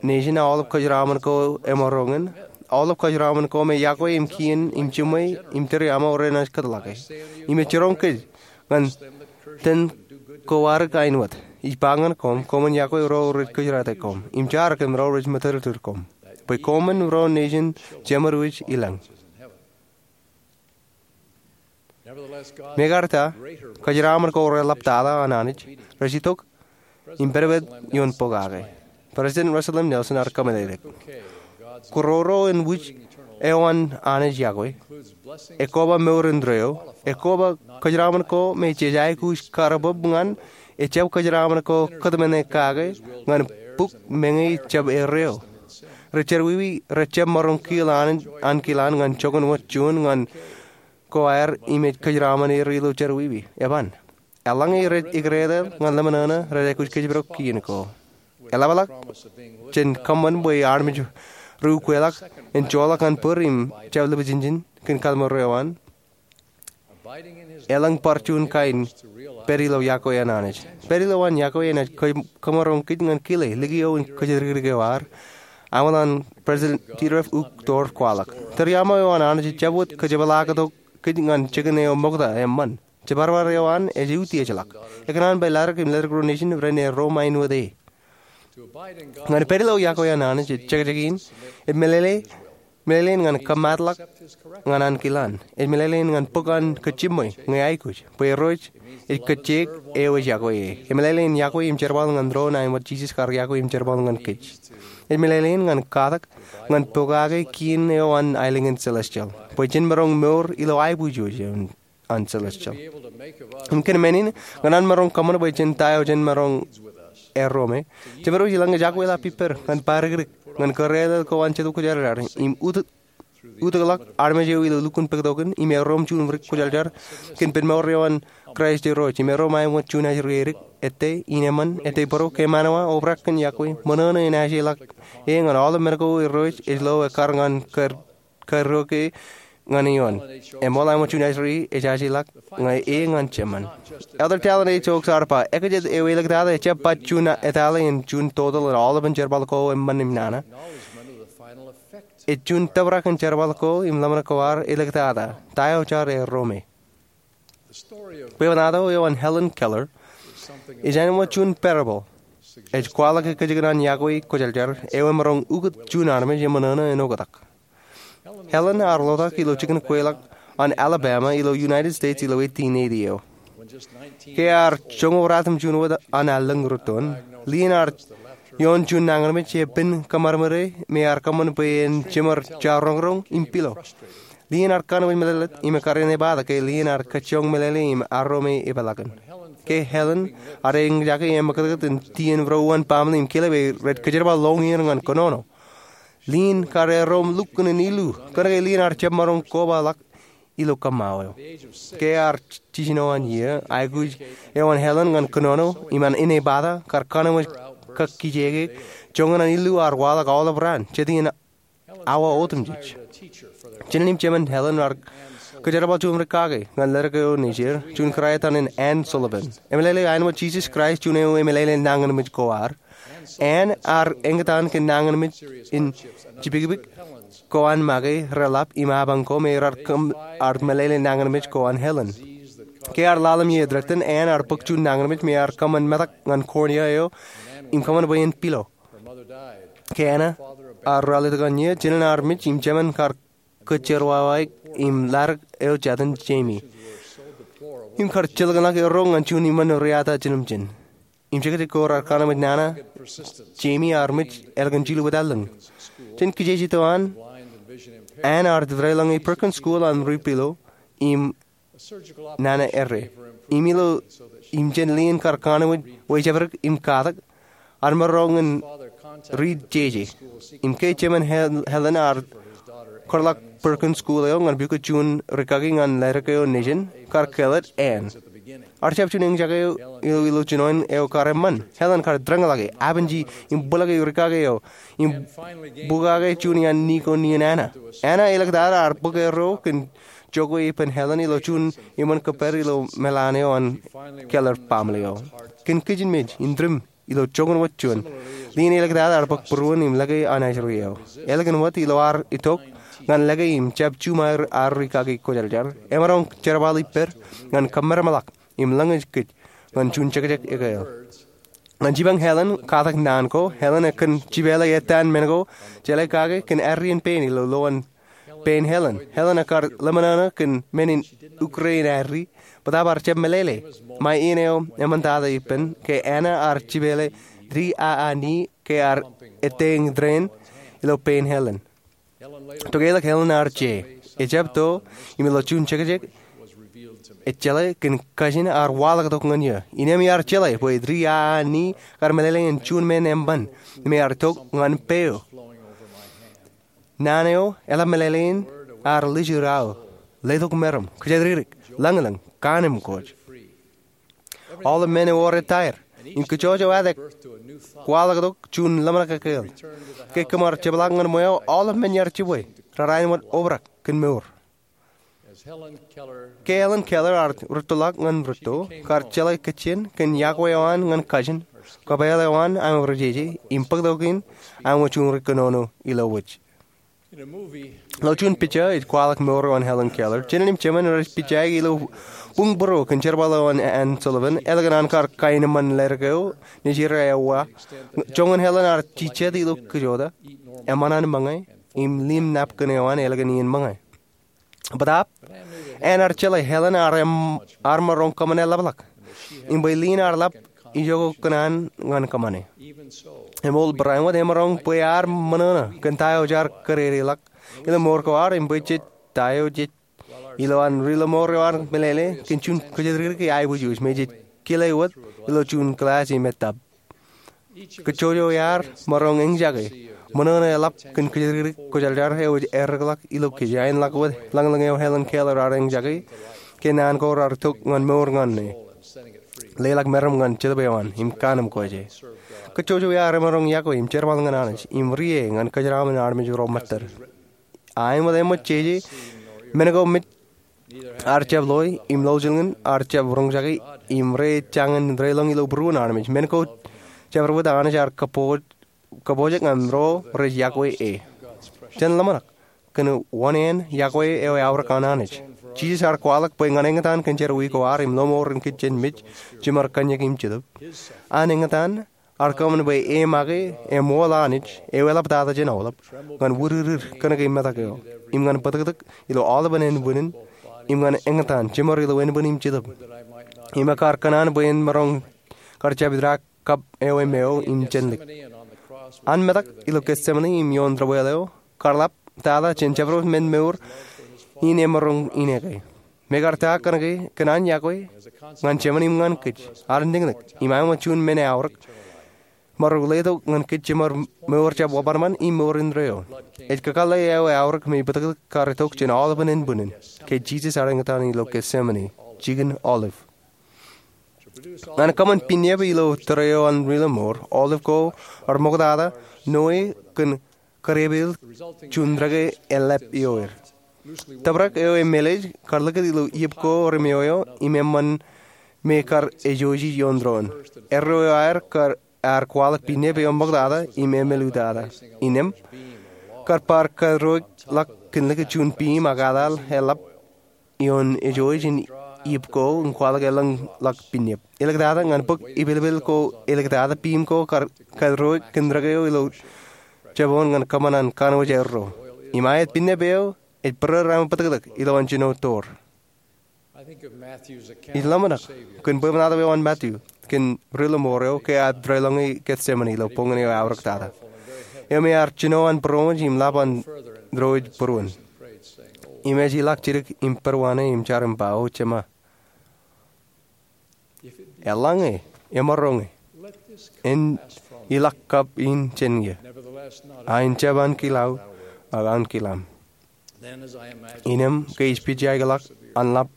nejin aolep kōjeraṃōn ko emaroñ in, aolep kōjeraṃōn ko me yokwe im kien im jiṃwe im tūriaṃo renaaj kōtḷọke. Im ej jiroñ kōj ñan ten ko adik ain wōt. Ij ba ñan koṃ, koṃwin yokwe ro rej kōjeraate koṃ, im jaar kōm ro rej matōrtōr koṃ, bwe koṃwin ro nejin Jemedwōj ilañ. Mekarta, kōjeraṃōn ko reḷaptata an Anij rej itok im pedped ioon pokake. President Russell M. Nelson ear kōmeḷeḷeik, kōroro in wūj eo an Anij yokwe, ekoba mour indeeo, ekoba kōjeraṃōn ko me jej aikuj kar bōb ñan, ejjab kōjeraṃōn ko kōtmāne kake ñan buk meñe jab erreo. Ri jerọwiwi rejjab maroñ kiil an, ankilaan ñan joñan wōt juon ñan ko aer im ej kōjeraṃōn er ilo jerọwiwi. Eban. Eḷaññe rej ikdeedeḷ ñan ḷōmṇōṇō rej aikuj kōjparok kien ko. Eḷapḷọk jān kōṃṃan bwe armej ri ukweḷọk en joḷọk ñan bōd im jab lipjinjin kōn kalliṃur eo an. Elōñ bar juon kain pād ilo yokwe an Anij. Pād ilo an yokwe enaaj kō-, kōmaroñ kōj ñan kile likio in kōjatdikdik eo ad. Aṃ ḷọk President Dieter F. Uchtdorf kwaḷọk, tūriaṃo eo an Anij ejjab wōt kōjepḷaaktok kōj ñan jikin eo ṃokta eṃṃan. Jibadbad eo an ej utiejḷọk. Ekōṇaan bwe Laddik im Laddik Ro Nejin ren erro ṃain wōt e. Ñan pād ilo yokwe an Anij ej jekjekin, ej meḷeḷe, meḷeḷein ñan kōmaatḷọk ñan ankilaan. Ej meḷeḷein ñan bōk an kōj jiṃwe ñe aikuj, bwe Irooj ej kōjjeik eo ej yokwe e. Ej meḷeḷein yokwe im jerbal ñan doon āinwōt Jisōs kar yokwe im jerbal ñan kōj. Ej meḷeḷein ñan katak ñan pokake kien eo an aelōñ in celestial, bwe jen maroñ mour ilo aiboojoj eo an celestial. Im kōn men in, ñan an maroñ kōṃṃan bwe jen ta eo jen maroñ erro me, Jemedwōj ilañ ej akwelap ippād ñan badikdik ñan kōrālel ko an Jetōb Kwōjarjar im ut-, utōkḷọk armej eo ilo lukkuun poktokin im erro im juon rik kwōjarjar kōn penmour eo an Kraist Irooj im erro ṃae ṃōt juon ajri edik, ettā in eṃṃan, ettā būruō, ke ṃanwōj, obrak kōn yokwe, ṃōṇōṇō in ajeḷọk e ñan aolep men ko Irooj ej lo ekkar ñan kar karuo ke ñan ioon. Eṃool āinwōt juon ajri ej ajeḷọk ñe e ñan Jemān. Elder Dallin H. Oaks ear ba, ekajet eo āliktata ejjab ba juon etale im juon total an aolepān jerbal ko eṃṃan im nana. Ej juon tōprak in jerbal ko im ḷōmṇak ko ad āliktata. Ta eo jaar erro me? Bwebwenato eo an Helen Keller ej āinwōt juon parable ej kwaḷọk kajjitōk in an yokwe kwōjarjar eo emaroñ ukōt juon armej eṃōṇōṇō en oktak. Helen ear ḷotak ilo jikin kweilọk an Alabama ilo United States ilo eighteen eighty eo. Ke ear joñoul ratimjuon wōt an allōñ rūttoon, lien ear Ioon juon nañinmej epen kōṃadṃōde me ear kōṃṃan bwe en jiṃor jaroñroñ im pilo. Lien ear kanooj meḷeḷe im ekkar enaaj bōktok ke lien ear kajjioñ meḷeḷe im arro me epeḷḷọk in. Ke Helen ear eñjake im ṃakūtkūt in tien ro uwaan baaṃle im kilep e, rej kōjerbal ḷoñier ñan kōnono. Lien kar erro im lukkuun in illu, kōnke lien ear jab maroñ kobaḷọk ilo kōṃṃao eo. Ke ear jiljino an iiō, aikuj eo an Helen ñan kōnono im an inepata kar kanooj kōkijeke. Joñan an illu ear waḷọk aolep raan, jet iien awa otemjej. Jinen im jemān Helen ear kōjerbal juon rikaki ñan ledik eo nejier, juon kūrā etan in Anne Sullivan. Emeḷeḷe āinwōt Jisōs Kraist juon eo emeḷeḷe nañinmej ko ad, Anne ear eñtaan kōn nañinmej in jipikpik ko an make reḷap im apañ ko me raar kōm, ear meḷeḷe nañinmej ko an Helen. Ke ear ḷalem iiō ej tōre, Anne ear bōk juon nañinmej me ear kōṃṃan metak ñan cornea eo im kōṃṃan bwe en pilo. Ke Anne ear ralitōk an iiō, jinen armej im jemān kar kōjjeḷọk wawaik im ḷadik eo jatin Jamie im kar jilkinḷọk erro ñan juon iṃōn riata jinōmjin. Im jekjek ko raar kanooj nana, Jamie armej ālikin jilu wōt allōñ. Jān kijeje eo an, Anne ear deḷọñe Perkins School an ri-pilo im nana errā. Im ilo, im jān lien kar kanooj wōjepdik im katak, ear maroñ in riit jeje. Im ke jemān Hel-, Helen ear kōtḷọk Perkins School eo ñan pukot juon rikaki ñan ledik eo nejin, kar kāālōt Anne. Ear jab juon eñjake eo ilo, ilo jinoin eo kar eṃṃan. Helen kar deḷọñḷọke, abenji, im bōlọke rikaki eo, im bukake juon iaan ni ko nien Anne. Anne elōñ tata ear bōk erro kōn jokwe ippān Helen ilo juon iṃōn kōppād ilo meḷaan eo an Keller baaṃle eo. Kōn kijenmej in tūṃ ilo joñan wōt juon, lien elōñ tata ear bōk būruon im lōke anij ri eo. Ālikin wōt ilo ad itok ñan lōke im jab juṃae ad rikaki kwōjarjar, emaroñ jerbal ippād ñan kōmmeramḷọk im lōñej kōj ñan juon jekjek ekāāl. Ñan jipañ Helen katak naan ko, Helen ekōn jipeḷe ettaan men ko jeḷā kake kōn arrin pein ilo lowaan pein Helen. Helen ekkar ḷōmṇōṇō kōn men in ukre in arri, bōtaab ear jab meḷeḷe. Ṃae iien eo eṃṃantata ippān ke Anne ear jipeḷe di aani ke ear etteiñ tōre in ilo pein Helen. Tok ālikin Helen ear je, ejab to, im ilo juon jekjek ej jeḷā kōn kajin ear waḷọktok ñan iiō. Innām ear jeḷā bwe di aani kar meḷeḷe in juon men eṃṃan me ear tok ñan peo. Naan eo eḷap meḷeḷe in ear lijid aō, letok meram, kōjatdikdik, lañlōñ, kaanemkwōj. Aolep men ewōr etaer, im kōjwōj eo aet kwaḷọktok juon ḷōmṇak ekāāl. Ke kōm ar jepḷaak ñan ṃweo, aolep men iar jibwe raar āinwōt obrak kōn mour. Ke Helen Keller ear rūttoḷọk ñan rūtto, kar jeḷā kōjjien kōn iakwe eo an ñan kajin, kōpeḷ eo an aṃ rejeje, im bōktok in aṃ juon ri kōnono ilo wōj. Ilo juon pija ej kwaḷọk mour eo an Helen Keller, jinen im jemān rej pija ilo buñbūro kōn jerbal eo an Anne Sullivan, ālikin an kar kaenōṃṃan ledik eo nejin eo ewa. Joñan Helen ear jijet ilo kōjota, eṃṃan an ṃōñā, im limnapkin eo an ālikin iien ṃōñā. Bōtaab, Anne ear jeḷā Helen ear em-, ear maroñ kōṃṃane ḷapḷọk, im bwe lien ear ḷap ijoko kōn an ñan kōṃṃane. Eṃool barāinwōt emaroñ bwe ear ṃōṇōṇō kōn ta eo jaar kōdedeḷọk ilo mour ko ad, im bwe jej ta eo jej ilo an ri-lọmọọr eo ear meḷeḷe kōn juon kōjatdikdik eaiboojoj me jej kile wōt ilo juon kilaaj im etap. Kōjwōj eo ear maroñ eñjake ṃōṇōṇō eḷap kōn kōjatdikdik kwōjarjar eo ej errekḷọk ilo kōj, āinḷọk wōt lañlōñ eo Helen Keller ear eñjake ke naan ko raar tok ñan mour ñan e, leḷọk meram ñan Jetōb eo an im kaanemkwōj e. Kōjwōj eo ear emaroñ iakwe im jerbal ñan Anij im rie ñan kōjeraṃṃan armej ro ṃōttad. Āinwōt eṃōj jeje, men ko mej ear jab loe, im lọjilñin ear jab roñjake, im rej jañin deḷọñ ilo būruon armej. Men ko jabdewōt Anij ear kōpoj-, kōpojak ñan ro rej iakwe e. Jen ḷōmṇak kōn wōṇāān iakwe eo eaorōk an Anij. Jisōs ear kwaḷọk bwe ñan eñtaan kōn jerọwiwi ko ad im lọmọọren kōj jān mej jiṃor kōṇaan im jetōb. An eñtaan ear kōṃṃan bwe e make eṃool Anij eo eḷaptata jān aolep, ñan wūdiddid kōnke metak eo, im ñan bōtōktōk ilo aolepen ānbwinnin, im ñan eñtaan jiṃor ilo ānbwin im jetōb. Im ekkar kōṇaan bwe en maroñ kar jab idaak kab eo im eo im jān lik. An metak ilo Getsemani im ioon debwāāl eo, kar lap tata jān jabdewōt men mour in emaroñ in eke. Im kar ta kōnke kōn an yokwe ñan Jemān im ñan kōj, ad enōknōk im aemān juon men eaorōk, emaroñ letok ñan kōj jemād mour jab obanban im mour indeeo. Ej kakōḷḷe eo eaorōk me bōtōktōk kar itok jān aolepen ānbwinnin, ke Jisōs ear eñtaan ilo Getsemani, jikin Olive. Ñan kōṃṃan piññāp ilo tōre eo an Ri Lọmọọr, Olive ko ear ṃoktata ṇoe kōn kariepel juon reke eḷap ioer. Tōprak eo emālōtlōt kar likūt ilo iep ko remeoeo im eṃṃan me kar ejouj ioon doon. Erro eo aer kar ear kwaḷọk piññāp eo ṃoktata im emālōtlōt. Innām kar bar karuo ḷọk kōn likūt juon piim ak etal eḷap ioon ejouj in iep ko im kwaḷọk elōñ ḷọk piññāap. Āliktata ñan bōk ipelpel ko, āliktata piim ko kar karuo kōn reke eo ilo jabōn ñan kōṃṃan an kanooj erro. Im aet piññāap eo ej bōrōrō im bōtōktōk ilowaan jino tour. Ij ḷōmṇak kōn bwebwenato eo an Matthew kōn Ri Lọmọọr eo ke ear tōre ḷọñe Getsemani ilo boñōn eo eaorōk tata, eo me ear jino an būroṃōj im ḷap an dooj būruon. Im ej ilọk jidik im pād wōṇāān im jar im ba, O Jema, eḷaññe emaroñe, en ilọk kab in jān eō, ak en jab ankilaō, ak ankilaṃ. Innām ke ij pija ḷọk an ḷap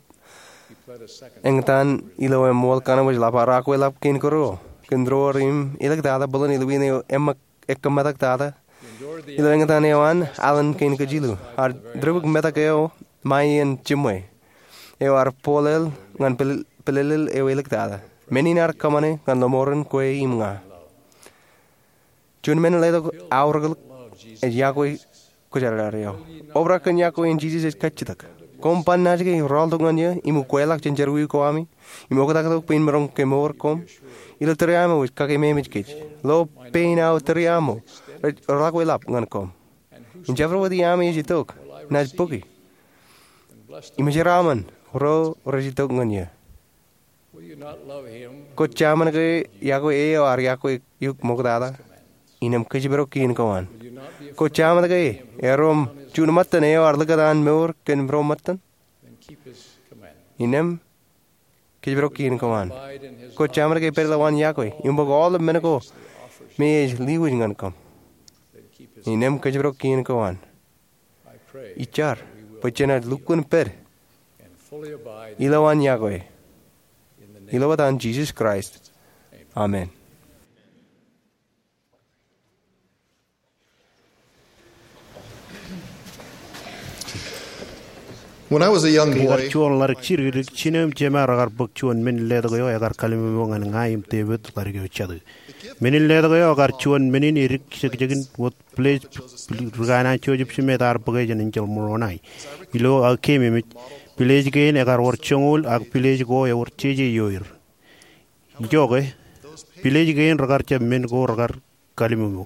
eñtaan ilo eṃṃool kanooj ḷap, ear akwe ḷap kein kōrā kōn doon im āliktata bōlen ilwin eo eṃṃan ekkā metak tata. Ilo eñtaan eo an alen kein kajilu, ear dibuk metak eo ṃae iien jiṃwe eo ear bōlel ñan pil-, pilelel eo āliktata. Men in ear kōṃṃane ñan lọmọọren kwe im ña. Juon men letok aorōk ḷọk ej yokwe kwōjarjar eo. Obrak kōn yokwe in Jisōs ej kajjitōk. Koṃ ban naaj ke rọọltok ñan eō im ukweḷọk jān jerọwiwi ko ami im oktaktok pein maroñ kemour koṃ? Ilo tōre aṃ eo ej kakeememej kōj. Lo pein aō tōre aṃ eo rej rookwe ḷap ñan koṃ. Im jabdewōt iaami ej itok, naaj bōki. Im jeraaṃṃan ro rej itok ñan eō. Kwōjaṃṃan ke yokwe e eo ear yokwe eok ṃoktata? Innām kōjparok kien ko an. Kwōjaṃṃan ke erom juon ṃōttan eo ear likūt an mour kōn ro ṃōttan? Innām kōjparok kien ko an. Kwōjaṃṃan ke pād ilowaan yokwe im bōk aolep men ko me ej lewōj ñan koṃ? Innām kōjparok kien ko an. Ij jar bwe jenaaj lukkuun pād ilowaan yokwe. Ilo etan Jisōs Kraist, amen. When I was a young boy, ke ikar juon ḷaddik jidikdik, jinō im jema rekar bōk juon men in letok eo ekar kallimōk ñan ña im David ḷaddik eo jatū. Men in letok eo ekar juon men in edik jekjekin wōt pilej ri-kanaan Joseph Smith ear bōke jān enjeḷ Moroni. Ilo aō keememej, pilej kein ekar wōr joñoul ak pilej ko ewōr jeje ioer. Ijoke, pilej kein rekar jab men ko rekar kallimōk eō.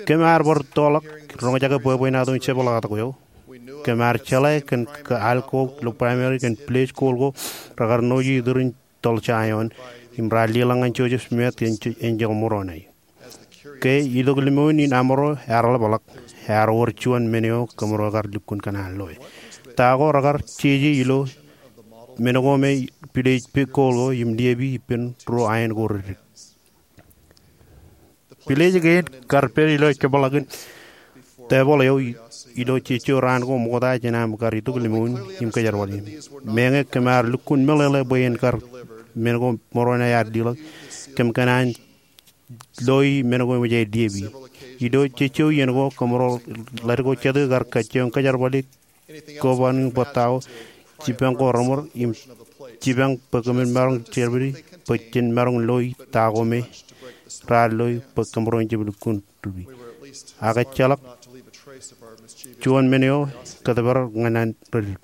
Kōm ar bar toḷọk roñjake bwebwenato in jepḷaaktok eo. Kōm ar jeḷā kōn ke al ko ilo primary kōn pilej kool ko rekar ṇooji iturin toḷ Jaion im raar leḷọk ñan Joseph Smith kōn enjeḷ Moroni. Ke itok limoun in amro ear ḷapḷọk, ear wōr juon men eo kōmro kar lukkuun kōṇaan loe. Ta ko rekar jeje ilo men ko me pilej kool ko im liepe ippān ruo aen ko reddik. Pilej kein kar pād ilo jepḷakin tebōḷ eo ilo jejjo raan ko ṃokta jān aṃ kar itok limoun im kōjerbali. Meñe kōm ar lukkuun meḷeḷe bwe en kar men ko Moroni ear leḷọk, kōm kōṇaan loi men ko eṃōj aer liepe. Ilo jejjo iien ko kōmro ḷaddik ko jatū kar kajjioñ kōjerbali koban in bōk ta ko, jipañ ko reṃōr im jipañ bwe kōmin maroñ jerbali bwe jen maroñ loi ta ko me raar loi bwe kōmro en jab lukkuun ripi. Ak ejjeḷọk juon men eo kōtōpar ñan an reddik.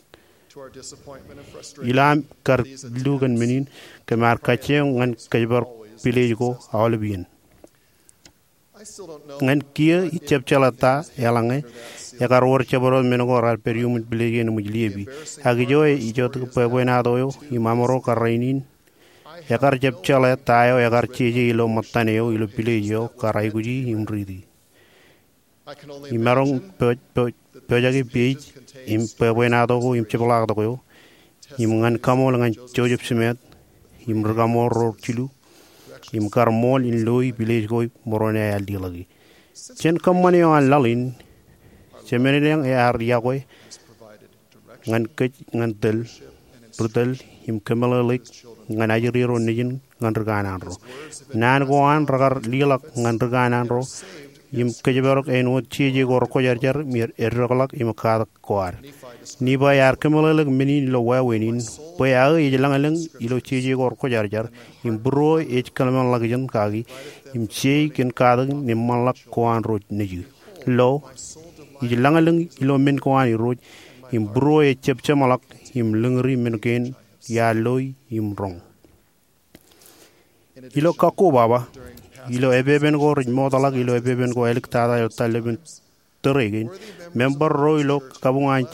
Ilo aṃ kar illu kōn men in, kōm ar kajjioñ ñan kōjparok pilej ko aolep iien. Ñan kiiō ij jab jeḷā ta eḷaññe ekar wōr jabdewōt men ko raar pād iuṃwin pilej kein eṃōj liepe. Ak ijo ej itok bwebwenato eo im amro kar rainin, Ekar jab jeḷā ta eo ekar jeje ilo ṃōttan eo ilo pilej eo kar aikuji im riiti. Imaroñ pojak, pojak, pojak i pej im bwebwenato ko im jepḷaaktok eo im ñan kaṃool ñan Joseph Smith im ri kaṃool ro jilu im kar ṃool in loi pilej ko ṃōrōṇōṇō ear leḷọk e. Jān kōṃṃan eo an laḷ in, Jemedān ear iọkwe ñan kōj ñan tōl, ri tōl, im kōmeḷeḷeik ñan ajri ro nejin ñan ri kanaan ro. Naan ko an rekar leḷọk ñan ri kanaan ro im kōjparok āinwōt jeje ko rekwōjarjar im eddekḷọk im katak ko ad. Nifai ear kōmeḷeḷeik men in ilo wāween in, bwe aō ej lañlōñ ilo jeje ko rekwōjarjar im būruō ej kōḷmānḷọkjeṇ kaki im jei kōn katakin eṃṃanḷọk ko an ro nejū. Lo, ij lañlōñ ilo men ko an Irooj im būruō ejjab jeṃḷọk im lōñri men kein iar loi im roñ. Ilo kakkobaba, ilo epepen ko rej mootḷọk ilo epepen ko āliktata ilo tōl ḷọk ippān tōre kein, member ro ilo kabuñ an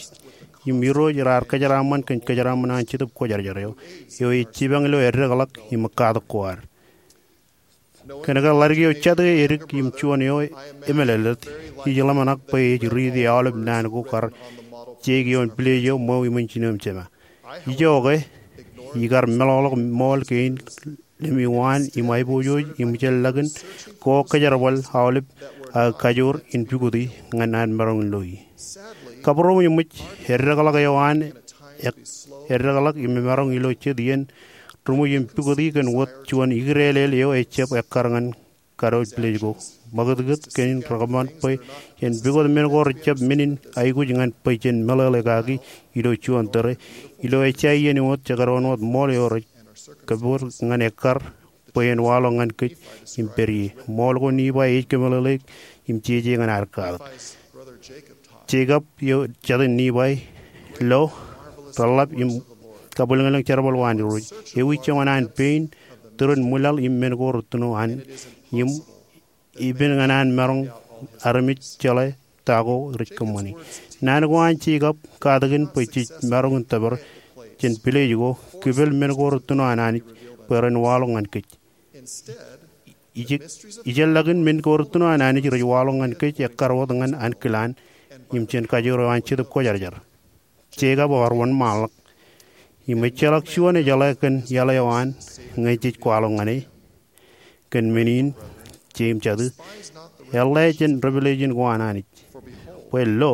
im Irooj raar kōjeraaṃṃan kōn kōjeraaṃṃan an Jetōb Kwōjarjar eo, eo ej jipañ ilo eddekḷọk im katak ko ad. Kōnke ḷaddik eo jatū edik im juon eo emālōtlōt, ij ḷōmṇak bwe ej riiti aolep naan ko kar jeik ioon pilej eo ṃweo iṃōn jinoin jema. Ijoke, ikar meḷọkḷọk ṃool kein lemewaan im aiboojoj im ijellọkin ko kōjerbal aolep aō kajoor in pukoti ñan an maroñ in loi. Kabūroṃōj eṃōj, eddekḷọk eo an eddekḷọk im emaroñ ilo jet iien ri ṃwij im pukoti kōn wōt juon ikdeḷeḷ eo ejjab ekkar ñan kanooj pilej ko. Ṃakūtkūt kein rekōṃṃan bwe en pukot men ko rejjab men in aikuj ñan bwe jen meḷeḷe kaki ilo juon tōre, ilo ejja iien wōt jekdọọn wōt ṃool eo rej kōpoor ñan ekkar bwe en waḷọk ñan kōj im pād ie. Ṃool ko Nifai ej kōmeḷeḷeik im jeje ñan ad katak. Jekob eo jatin Nifai, lo, reḷḷap im kabwilōñlōñ jerbal ko an Irooj. Ewi joñan an pein, turin ṃwilaḷ im men ko rūttuno an, im ippān ñan an maroñ armej jeḷā ta ko rej kōṃṃani. Naan ko an Jekob katakin bwe jej maroñ in tōpar jān pilej ko, kipel men ko rūttuno an Anij bwe ren waḷọk ñan kōj. Ijellọkin men ko rūttuno an Anij rej waḷọk ñan kōj ekkar wōt ñan ankilaan im jān kajoor eo an Jetōb Kwōjarjar. Jekob ear wōnṃaanḷọk im ejjeḷọk juon ejeḷā kōn iaḷ eo an ñe jej kwaḷọk ñan e. Kōn men in, Jemes jatū, eḷḷā jān revelation ko an Anij. Bwe lo,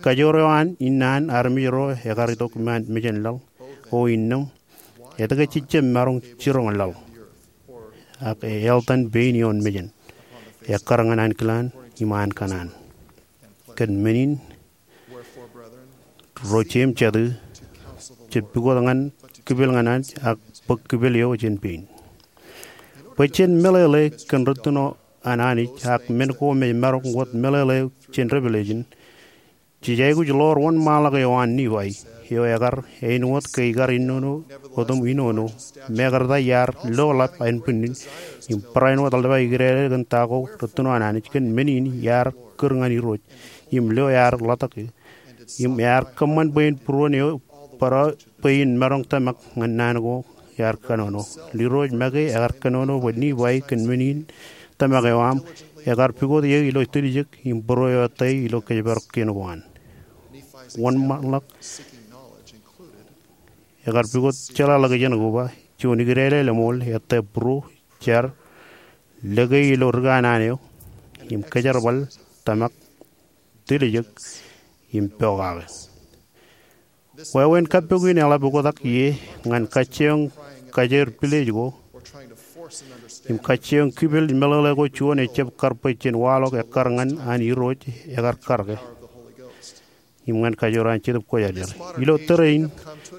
kajoor eo an innaan armej ro ekar itok mejān laḷ, o innām, etke jejjab maroñ jiroñ laḷ? Ak eḷtan pein ioon mejān, ekkar ñan ankilaan im an kanaan. Kōn men in, ro Jemes jatū, jab pukot ñan kipel ñan Anij ak bōk kipel eo jān pein. Bwe jen meḷeḷe kōn rūttuno an Anij ak men ko me maroñ wōt meḷeḷe jān revelation, jej aikuj ḷoor wōnṃaanḷọk eo an Nifai, eo ekar, āinwōt ke ikar inono otem inono, mekarta iar lo ḷap ānbwinnin im barāinwōt eḷap ikdeḷeḷ kōn ta ko rūttuno an Anij. Kōn men in iar kūr ñan Irooj im lo ear ḷotak e. Im ear kōṃṃan bwe en būruon eo barāinwōt bwe in maroñ tōmak ñan naan ko ear kōnono. Irooj make ekar kōnono bwe Nifai kōn men in tōmak eo aṃ ekar pukot eō ilo tiljek im būruo eo ettā ilo kōjparok kein ko an. Wōnṃaanḷọk ekar pukot jeḷāḷọkjeṇ koba juon ikdeḷeḷ eṃool ettā būruo, jar, lōke ilo ri kanaan eo im kōjerbal, tōmak, tiljek im pokake. Wāween kappok in eḷap oktak ie ñan kajjioñ kajeer pilej ko im kajjioñ kipel meḷeḷe ko juon ejjab kar bwe jen waḷọk ekkar ñan an Irooj ekar karōke im ñan kajoor an Jetōb Kwōjarjar. Ilo tōre in,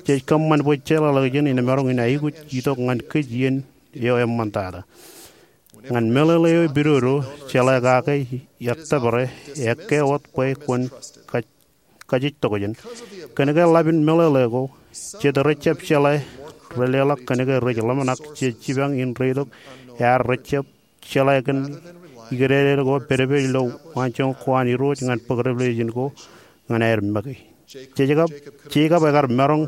jej kōṃṃan bwe jeḷāḷọkjeṇ in maroñ in aikuj itok ñan kōj iien eo eṃṃantata. Ñan meḷeḷe eo epidodo, jeḷā kake ettōpare, ekkā wōt bwe kwōn kajjitokjeṇ. Kōnke ḷap in meḷeḷe ko, jet rejjab jeḷā, releḷọk kōnke rej ḷōmṇak jej jipañ in reitok ear rejjab jeḷā kōn ikdeḷeḷ ko pedped ilo waanjoñak ko an Irooj ñan bōk revelation ko ñan aer make. Jekob, Jekob ekar maroñ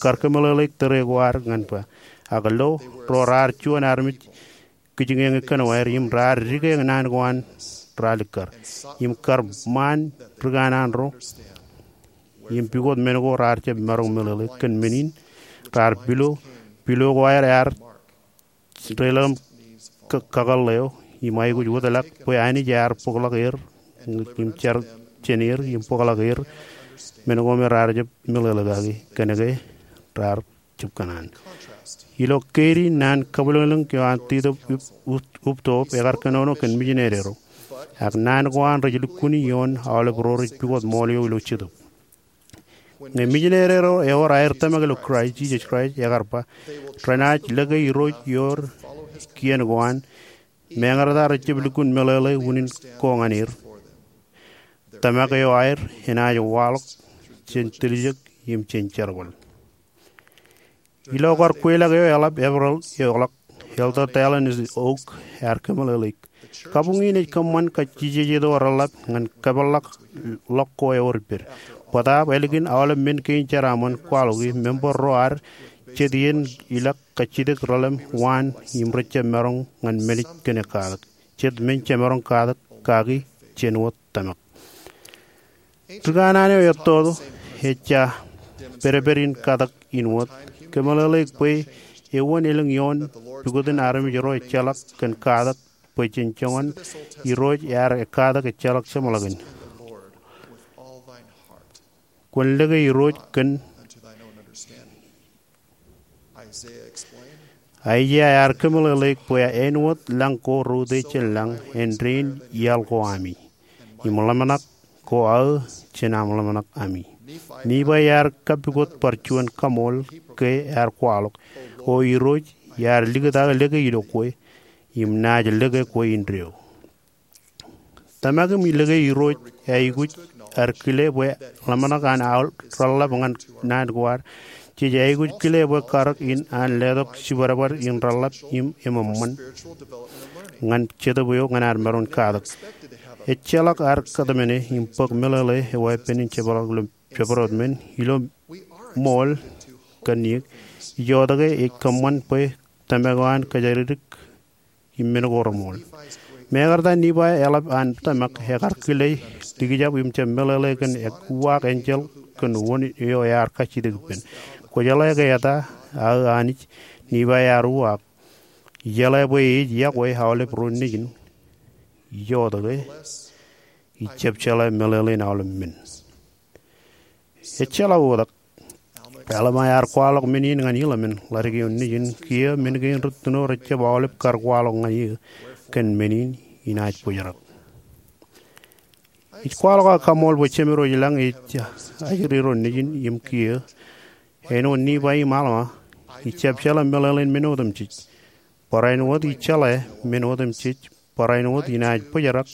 kar kōmeḷeḷeik tōre ko ad ñan ba, Ak lo ro raar juon armej kijiñeñe kōnwāer im raar dike naan ko an ralikkar im kar ṃaan ri kanaan ro im pukot men ko raar jab maroñ meḷeḷe. Kōn men in raar pilo, pilo ko aer ear deḷọñ im kakōḷḷe eo im aikuj wōtlọk bwe Anij ear bōkḷọk er im jar jān er im bōkḷọk er men ko me raar jab meḷeḷe kaki. Kōnke raar jab kōṇaan. Ilo keidi naan kabwilōñlōñ eo an Titōb Up- Up- Uptop ekar kōnono kōn mijineri ro, ak naan ko an rej lukkuun ioon aolep ro rej pukot ṃool eo ilo Jetōb. Ñe mijineri ro ewōr aer tōmak ilo Kraist, Jisōs Kraist, ekar ba, renaaj lōke Irooj ioer kien ko an, meñe rej jab lukkuun meḷeḷe unin ko ñan er. Tōmak eo aer enaaj waḷọk jān tiljek im jān jerbal. Ilo kar kweilọk eo eḷap Eprel eo ḷọk, Elder Dallin H. Oaks ear kōmeḷeḷeik, kabuñ in ej kōṃṃan kajjijejjet eo reḷap ñan kōpeḷḷọk ḷọk ko ewōr ippād. Bōtaab ālikin aolep men kein jeraaṃṃan kwaḷọki, member ro ad jet iien ilọk kajjitōk relōñ waan im rej jab maroñ ñan men ej kōn ekkatak, jet men jemaroñ katak kaki jān wōt tōmak. Ri kanaan eo ettoto ejja pedped in katak in wōt, kōmeḷeḷeik bwe ewōn elōñ ioon pukot in armej ro ejjeḷọk kōn katak bwe jen joñan Irooj ear ekkatak ejjeḷọk jeṃḷọkin. Kwōn lōke Irooj kōn Aiseia ear kōmeḷeḷeik bwe āinwōt lañ ko reutiej jān lañ, āindein iaḷ ko ami, im ḷōmṇak ko aō jān aṃ ḷōmṇak ami. Nifai ear kapukot bar juon kaṃool ke ear kwaḷọk, O Irooj, iar likūt aō lōke ilo kwe, im naaj lōke kwe indeeo. Tōmak im lōke Irooj aikuj ad kile bwe ḷōmṇak an aō reḷḷap ñan naan ko ad. Jej aikuj kile bwe karōk in an letok jibadbad in reḷḷap im eṃṃan ñan Jetōb eo ñan ad maroñ katak. Ejjeḷọk ad kōtmāne im bōk meḷeḷe eo epen in jepḷaak ilo jabdewōt men ilo ṃool kōn iiō. Ijoke ej kōṃṃan bwe tōmak eo an kōjatdikdik im men ko reṃool. Mekarta Nifai eḷap an tōmak, ekar kile likjab im jab meḷeḷe kōn uwaak enjeḷ kōn wōn eo ear kajjitōk ippān. Kwōjeḷā ke eta aō Anij? Nifai ear uwaak, Ijeḷā bwe ej iọkwe aolep ro nejin. Ijoke ij jab jeḷā meḷeḷein aolep men. Ejjeḷọk oktak. Alma ear kwaḷọk men in ñan Hilaman, ḷadik eo nejin, Kiiō men kein rūttuṇo rejjab aolep kar kwaḷọk ñan eō, kōn men in inaaj bōjrak. Ij kwaḷọk aō kaṃool bwe Jemedwōj lañ ej ajri ro nejin im kiiō, āinwōt Nifai im Alma, ij jab jeḷā meḷeḷein men otemjej. Barāinwōt ij jeḷā men otemjej, barāinwōt inaaj bōjrak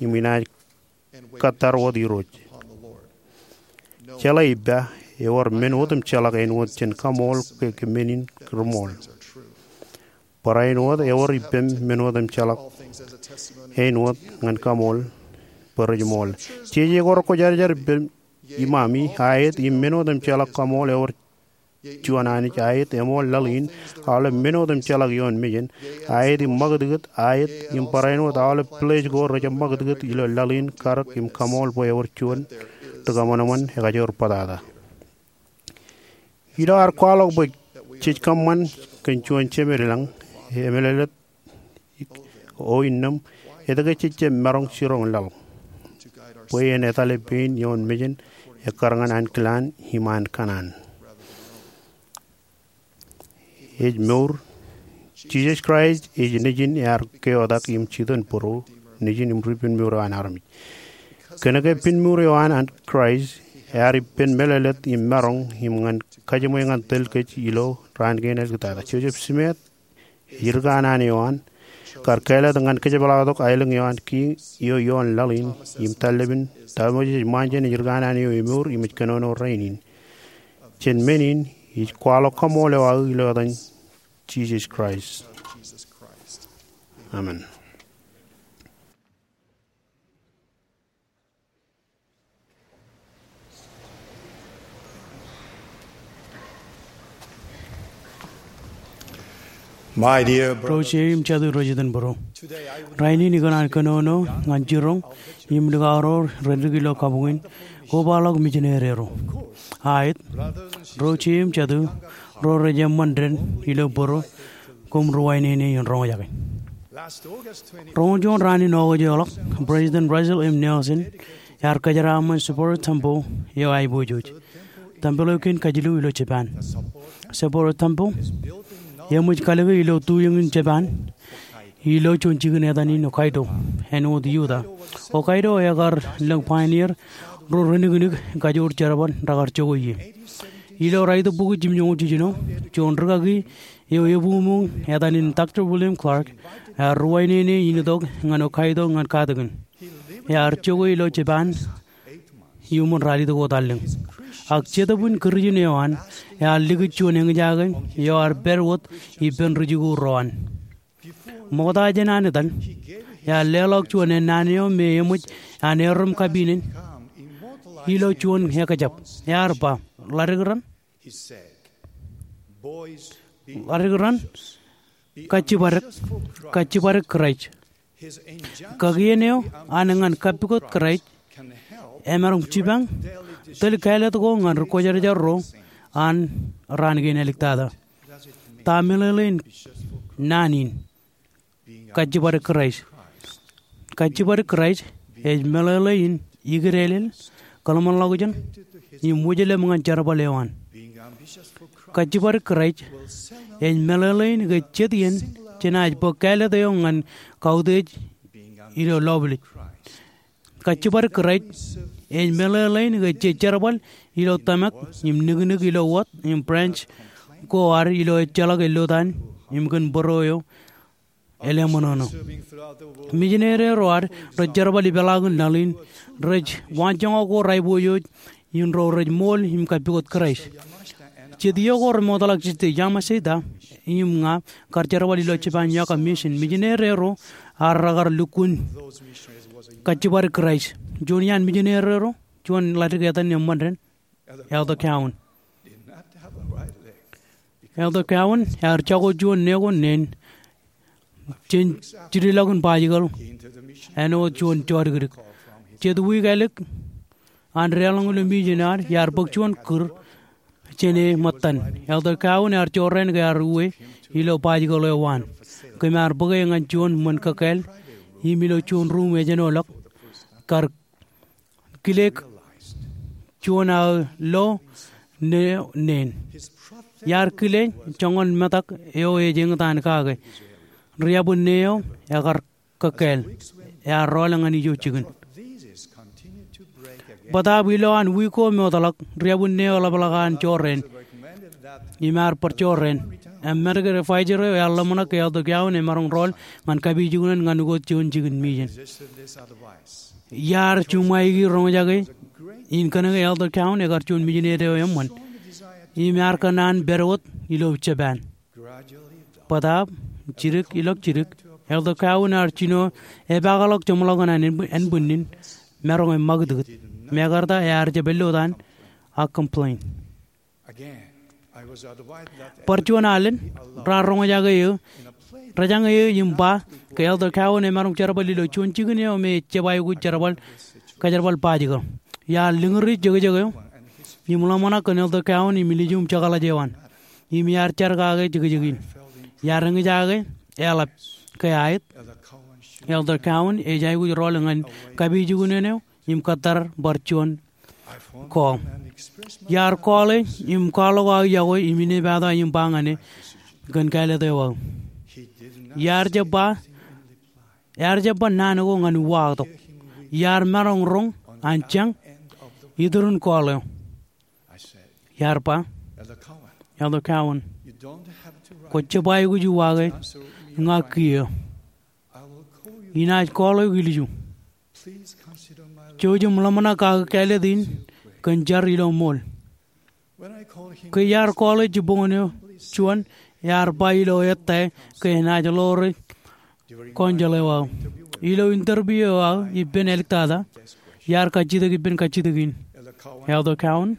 im inaaj kōttar wōt Irooj. Jeḷā ippa, ewōr men otemjeḷọk āinwōt jān kaṃool ke, ke men in reṃool. Barāinwōt ewōr ippem men otemjeḷọk āinwōt ñan kaṃool bwe rej ṃool. Jeje ko rekwōjarjar ippemi, iṃaṃi, aet im men otemjeḷọk kaṃool ewōr juon Anij, aet eṃool laḷ in, aolep men otemjeḷọk ioon mejān, aet im ṃakūtkūt, aet im barāinwōt aolep pilej ko rejjab ṃakūtkūt ilo laḷ in, karōk im kaṃool bwe ewōr juon ri kōṃanṃan ekajoor bōtata. Ilo ad kwaḷọk bwe jej kōṃṃan kōn juon Jemed lañ, emeḷeḷe O innām, etke jej jab maroñ jiroñ laḷ bwe en etale pein ioon mejān ekkar ñan ankilaan im an kōṇaan? Ej mour. Jisōs Kraist ej nejin ear keotak im jitōnbōro, nejin im ri pinmour eo an armej. Kōnke pinmour eo an, an Kraist ear ippān mālōtlōt im maroñ im ñan kajiṃwe ñan tōl kōj ilo raan kein āliktata. Joseph Smith ej ri kanaan eo an kar kāālōt ñan kōjepḷaaktok aelōñ eo an kiiō ioon laḷ in im tallepin Taṃojej ṃaanjān ej ri kanaan eo emour im ej kōnono rainin. Jān men in ij kwaḷọk kaṃool eo aō ilo etan Jisōs Kraist. Amen. My dear brothers, ro jeiū im jatū rej iten būruō, rainin ikōṇaan kōnono ñan jiroñ im likao ro rej dik ilo kabuñ in, kobaḷọk mijinede ro. Aet, ro jeiū im jatū ro rej eṃṃan dān ilo būruō, koṃ ri-wāween in roñjake. Roñoul juon raan in August eo ḷọk, President Russell M. Nelson ear kōjeraaṃṃan Sapporo Temple eo aiboojoj, tempel eo kein kajilu ilo Japan. Sapporo Temple eṃōj kalōke ilo tuiōñ in Japan, ilo juon jikin etan in Hokkaido, āinwōt Utah. Hokkaido ekar lōñ pioneer ro reniknik kajoor jerbal rekar jokwe ie. Ilo raitōk bukwi jimjuonñoul jiljino, juon rūkaki eo ebuñbuñ etan in Doctor William Clark ear ri-wāween in itok ñan Hokkaido ñan katakin. Ear jokwe ilo Japan iuṃwin ralitōk wōt allōñ. Ak jetōb in kūrijin eo an, ear likūt juon eñjake eo ear pād wōt ippān ri-jikuuḷ ro an. Ṃokta jān an etal, ear leḷọk juon ennaan eo me eṃōj an erom kapin in ilo juon ekjab. Ear ba, "Ḷadik ran, ḷadik ran, kajjibadek, kajjibadek Kraist." Kakien eo an ñan kappukot Kraist emaroñ jipañ tōl kāālōt ko ñan ri kwōjarjar ro an raan kein āliktata. Ta meḷeḷein naan in, kajjibadek Kraist? Kajjibadek Kraist ej meḷeḷein ikdeḷeḷ, kōḷmānḷọkjeṇ im wōjlep ñan jerbal eo an. Kajjibadek Kraist ej meḷeḷein ke jet iien jenaaj bōk kāālōt eo ñan kautiej ilo lọpḷej. Kajjibadek Kraist ej meḷeḷein ke jej jerbal ilo tōmak im niknik ilo wōt im branch ko ad ilo ejjeḷọk ellotaan im kōn būruō eo eleṃōṇōṇō. Mijinede ro ad rej jerbal ipeḷaakin laḷ in rej waanjoñak ko aiboojoj in ro rej ṃool im kappukot Kraist. Jet iiō ko remootḷọk Sister Yamashita im ña kar jerbal ilo Japan iọkwe misin, mijinede ro ad rekar lukkuun kajjibadek Kraist. Juon iaan mijinede ro, juon ḷadik etan eṃṃan dān, Elder Cowan. Elder Cowan ear jako juon ṇe ko neen jān jidilọkin baaikōḷ āinwōt juon jodikdik. Jet wiik ālik an deḷọñ ilo misin ad, iar bōk juon kūr jān e ṃōttan. Elder Cowan ear jorrāān ke ear uwe ilo baaikōḷ eo an. Kōm ar bōke ñan juon ṃōn kōkkāāl im ilo juon ruum ejenoḷọk, kar kile juon aō lo ṇe neen. Iar kile joñan metak eo ej eñtaan kake. Riabwinne eo ekar kōkkāāl, ear rọọl ñan ijo jikin. Bōtaab ilowaan wiik ko mootḷọk, riabwinne eo eḷapḷọk an jorrāān im ear bar jorrāān. Im medical advisor eo ear ḷōmṇak ke Elder Cowan emaroñ rọọl ñan kapijuknen ñan ukot juon jikin misin. Iar juṃaiki roñjake in kōnke Elder Cowan ekar juon mijinede eo eṃṃan im ear kōṇaan pād wōt ilo Japan. Bōtaab jidik ilọk jidik, Elder Cowan ear jino epaakḷọk jeṃḷọkin an ānbwinnin, maroñ eṃṃakūtkūt. Mekarta ear jab ellotaan ak complain. Bar juon alen, raar roñjake eō, rejañe eō im ba ke Elder Cowan emaroñ jerbal ilo juon jikin eo me ej jab aikuj jerbal, kōjerbal baaikōḷ. Iar lōñri jekjek eo im ḷōmṇak kōn Elder Cowan im ilju im jekḷaj eo an. Im iar jar kake jekjek in. Iar eñjake eḷap ke aet, Elder Cowan ej aikuj rọọl ñan kapijuknen eo im kōttar bar juon call. Iar call e im kwaḷọk aō iọkwe im inepata im ba ñan e kōn kāālōt eo aō. Iar jab ba, iar jab ba naan ko ñan uwaaktok. Iar maroñ roñ an jañ iturin call eo. Iar ba, Elder Cowan, kwōj jab aikuj uwaake ña kiiō. Inaaj call eok ilju. Jouj im ḷōmṇak aō kāālōt in kōn jar ilo ṃool. Ke iar call e jibboñōn eo juon, ear ba ilo ettā ke enaaj ḷoore counsel eo aō. Ilo interview eo aō ippān āliktata, iar kajjitōk ippān kajjitōk in. Elder Cowan,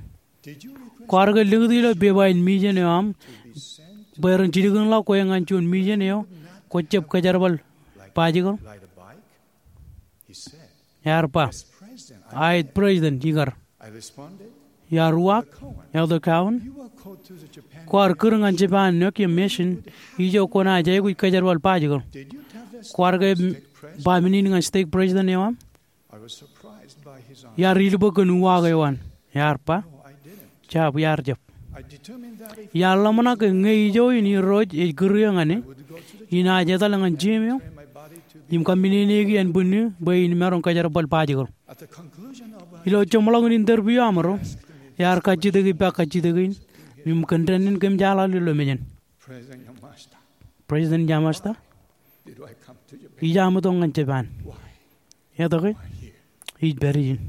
kwaar ke likūt ilo pepa in misin eo aṃ Bwe ren jilkinḷọk kwe ñan juon mission eo kwō jab kōjerbal bajikōḷ? Ear ba, aet President, ikar. Iar uwaak, Elder Cowan, kwaar kūr ñan Japan Nokia Mission ijo kwōnaaj aikuj kōjerbal bajikōḷ. Kwaar ke ba men in ñan stake president eo aṃ? Iar ilbōk kōn uwaak eo an. Ear ba, jab, iar jab. Iar ḷōmṇak ke ñe ijo in Irooj ej kūr eō ñan e, inaaj etal ñan gym eo im kaminene ki ānbwinnū bwe in maroñ kōjerbal bajikōḷ. Ilo jeṃḷọkin interview eo aṃro, ear kajjitōk ippa kajjitōk in im kōn dān in kōm jeḷā ilo mejān. President Yamashita, ij aṃ itok ñan Japan. Etke ij pād ijin?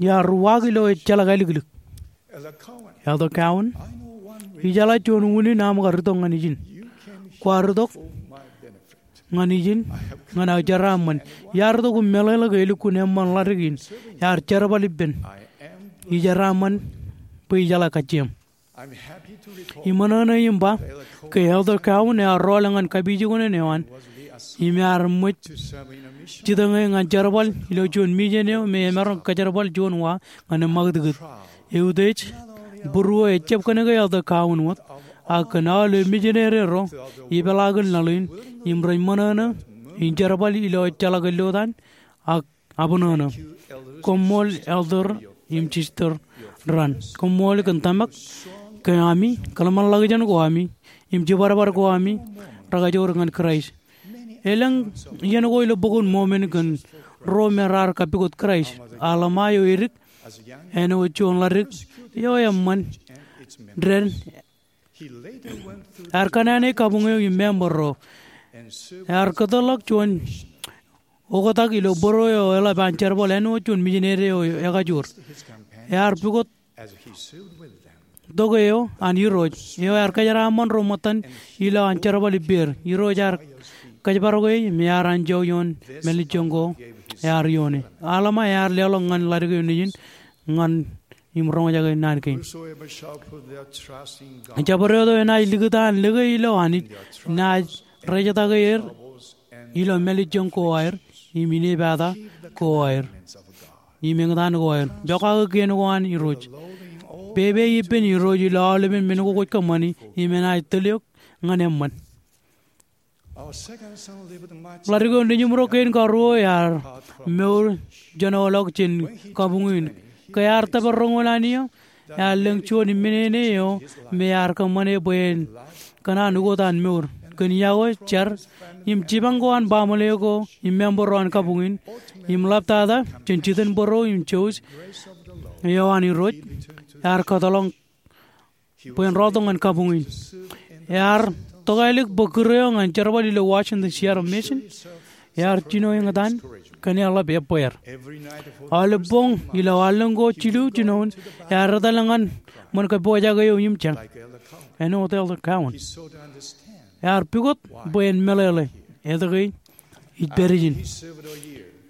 Iar uwaak ilo ejjeḷọk āliklik. Elder Cowan, ijeḷā juon unin aṃ kar itok ñan ijin. Kwaar itok ñan ijin ñan aō jeraaṃṃan. Iar itok im meḷeḷe ke elukkuun eṃṃan ḷadik in. Ear jerbal ippān. Ij jeraaṃṃan bwe ijeḷā kajjieṃ. Im ṃōṇōṇō im ba ke Elder Cowan ear rọọl ñan kapijuknen eo an im ear ṃōj jitōñ e ñan jerbal ilo juon mission eo me emaroñ kōjerbal juon wa ñan eṃṃakūtkūt. Eutiej būruō ejjab kōnke Elder Cowan wōt, ak kōn aolep misineri ro ipeḷaakin laḷ in im rej ṃōṇōṇō in jerbal ilo ejjeḷọk ellotaan ak abṇōṇō. Koṃṃool Elder im Sister Rand. Koṃṃool kōn tōmak ke ami, kōḷmānḷọkjeṇ ko ami im jibadbad ko ami rekajoor ñan Kraist. Elōñ iien ko ilo Bok in Mormon kōn ruo me raar kappukot Kraist. Alma eo edik āinwōt juon ḷadik eo eṃṃan dān ear kōṇaan e kabuñ eo im member ro. Ear kōtḷọk juon oktak ilo bōro eo eḷap an jerbal āinwōt juon misineri eo ekajoor. Ear pukot tok eo an Irooj eo ear kōjeraaṃṃan ro ṃōttan ilo an jerbal ippāer. Irooj ear kōjparok e im ear anjọ ioon mālejjoñ ko ear ioone. Alma ear leḷọk ñan ḷadik eo nejin ñan im roñjake naan kein. Jabdewōt eo enaaj likūt an lōke ilo Anij enaaj rejetake er ilo mālejjoñ ko aer im inepata ko aer im eñtaan ko aer. Pokake kien ko an Irooj. Pepe ippān Irooj ilo aolepen men ko kwōj kōṃṃani im enaaj tōl eok ñan eṃṃan. Ḷadik eo nejimro kein karuo ear mour jān ḷọk jān kabuñ in. Ke ear tōpar roñoul an iiō, ear lōñ juon im menene eo me ear kōṃṃane bwe en kōṇaan ukot an mour. Kōn iọkwe, jar, im jipañ ko an baaṃle ko im member ro an kabuñ in im ḷaptata jān jitōnbōro im jouj eo an Irooj, ear kōtḷọk bwe en rọọltok ñan kabuñ in. Ear tokālik bwe kūr eo ñan jerbal ilo Washington Seattle Mission ear jino eñtaan kōn eḷap ebbeer. Aolep boñ ilo allōñ ko jilu jinoin ear etal ñan ṃōn kōppojak eo im jañ āinwōt Elder Cowan. Ear pukot bwe en meḷeḷe etke ij pād ijin.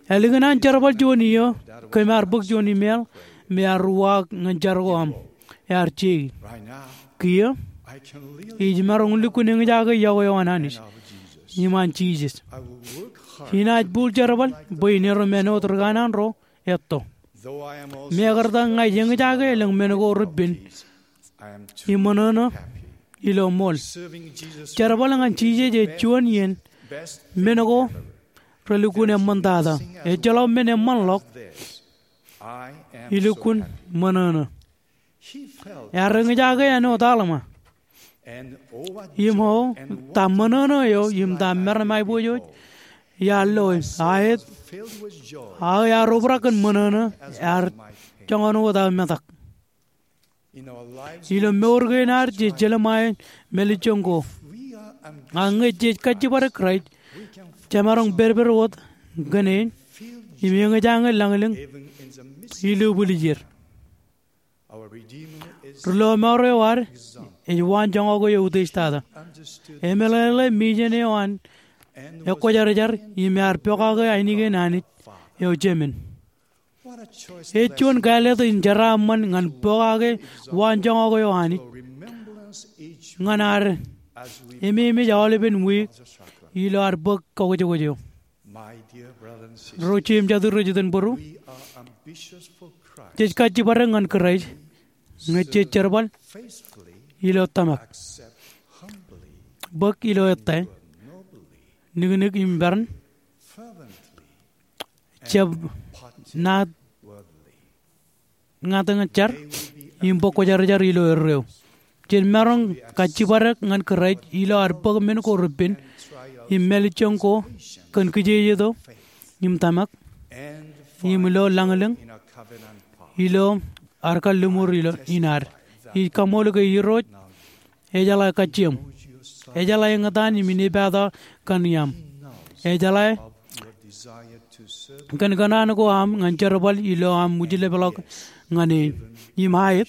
Ālikin an jerbal juon iiō, kōm ar bōk juon email me ear uwaak ñan jar ko aṃ. Ear jeik. Kiiō ij maroñ lukkuun eñjake iọkwe eo an Anij im an Jisōs. Inaaj bōk jerbal bwe in erom āinwōt ri kanaan ro etto. Mekarta ña ij eñjake elōñ men ko repen im ṃōṇōṇō ilo ṃool. Jerbal ñan Jisōs ej juon iien men ko relukkuun eṃṃantata. Ejjeḷọk men eṃṃanḷọk ilukkuun ṃōṇōṇō. Ear eñjake āinwōt Alma. Im o ta ṃōṇōṇō eo im ta meram aiboojoj iar loe, aet, aō ear obrak kōn ṃōṇōṇō, ear joñan wōt aō metak. Ilo mour kein ad jej jelṃae mālejjoñ ko. Ak ñe jej kajjibadek Kraist, jemaroñ pedped wōt kōn e im eñjake lañlōñ ilubwiljier. Ri lọmọọr eo ad ej waanjoñak eo eutiej tata. Emeḷeḷe mission eo an ekkwōjarjar im ear pokake ainikien Anij eo Jemān. Ej juon kāālōt in jeraaṃṃan ñan pokake waanjoñak eo Anij ñan ad ememej aolepen wiik ilo ad bōk kakwōjkwōj eo. Ro jeiū im jatū rej itōn bōro, jej kajjibadek ñan Kraist ñe jej jerbal ilo tōmak, bōk ilo ettā, niknik im peran, jab naat ñāāt ñan jar, im bōk kwōjarjar ilo erreo. Jen maroñ kajjibadek ñan Kraist ilo ad bōk men ko repen im mālejjoñ ko kōn kijejeto im tōmak im ilo lañlōñ ilo ad kalliṃur ilo in ad. Ij kaṃṃoolol ke Irooj ejeḷā kajjieṃ. Ejeḷā eñtaan im inepata kaṇ iaṃ. Ejeḷā kōn kōṇaan ko aṃ ñan jerbal ilo aṃ wūjlepḷọk ñan e. Im aet,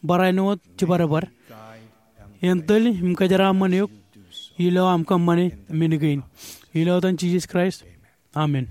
barāinwōt jibadbad en tōl im kōjeraaṃṃan eok ilo aṃ kōṃṃane men kein. Ilo etan Jisōs Kraist, amen.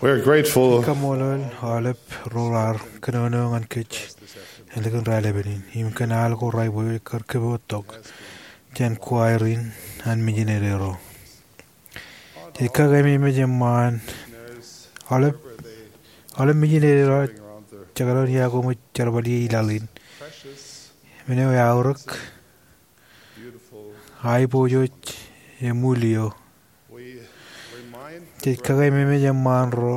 We're grateful. Kaṃṃoolol aolep ro raar kōnono ñan kōj ālikin raelepin in im kōn al ko raipojoj kar kōpooj tok jān kwaer in an mijineri ro. Jej kakememej eṃṃaan aolep, aolep mijineri ro jekdọọn iọkwe ṃōj jerbal ie laḷ in. Men eo eaorōk, aiboojoj, im ṃuul eo. Jej kakememej eṃṃaan ro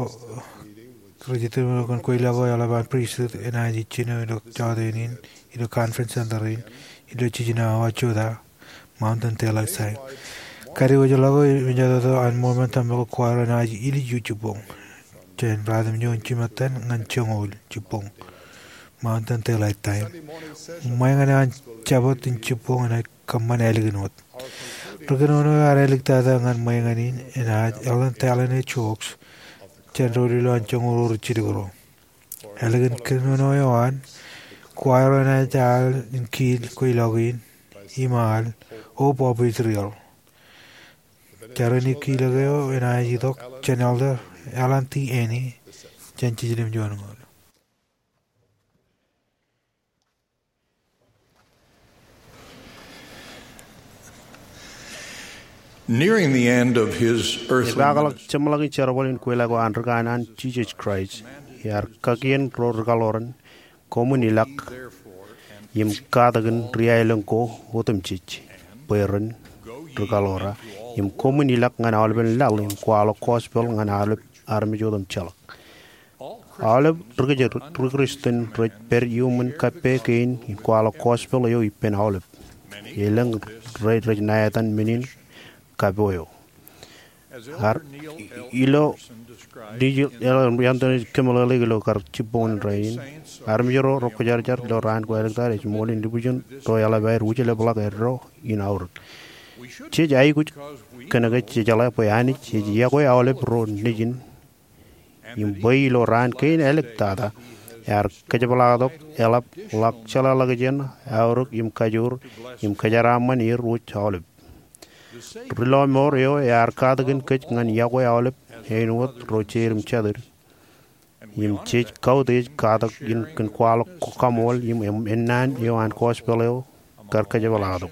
rej itok kōn kweilọk eo eḷap an pristut enaaj jino ilo jọteen in, ilo conference center in, ilo jiljino awa jota, Mountain Daylight Time. Kadiwōjḷọk eo im jọteto an ṃool ṃōn tōmak eo kwaer enaaj ilju jibboñ jān ratimjuon jimettan ñan joñoul jibboñ, Mountain Daylight Time. Ṃweiññan an Jabōt in jibboñ enaaj kōṃṃan ālikin wōt. Ri kōnono eo ear āliktata ñan ṃweiññan in enaaj Elder Dallin H. Oaks jān doulul eo an joñoul rijjilōk ro. Ālikin kōnono eo an, kwaer eo enaaj al in kiil kweilọk in im al Hope of Israel. Jar in kiilōk eo enaaj itok jān Elder Alan T. Anni jān jiljilimjuon ñoul. Nearing the end of his earthly Epaakḷọk ministry, jeṃḷọkin jerbal in kweilọk eo an ri kanaan Jisōs Kraist, ear kakien ro rikaḷoran, koṃwin ilọk im katakin ri-aelōñ ko otemjej, bwe ren rikaḷora, im koṃwin ilọk ñan aolepen laḷ im kwaḷọk gospel ñan aolep armej otemjeḷọk. Aolep ri kōj ri Kristian rej pād iuṃwin kappok kein in kwaḷọk gospel eo ippān aolep. Elōñ rej, rej ṇa etan men in kapo eo. Ar, ilo Elder Anthony kōmeḷeḷeik ilo kar jibboñōn rainin, armej ro rekwōjarjar ilo raan ko āliktata ej ṃool in lubujin ro eḷap aer wūjlepḷọk eddo in aorōk. Jej aikuj kōnke jejeḷā bwe Anij ej iọkwe aolep ro nejin im bwe ilo raan kein āliktata, ear kōjepḷaaktok eḷap ḷọk jeḷāḷọkjeṇ, aorōk im kajoor, im kōjeraaṃṃan er wōj aolep. Ri lọmọọr eo ear katakin kōj ñan iọkwe aolep āinwōt ro jeid im jatid. Im jej kautiej katak in kōn kwaḷọk kaṃool im, im ennaan eo an gospel eo kar kōjepḷaaktok.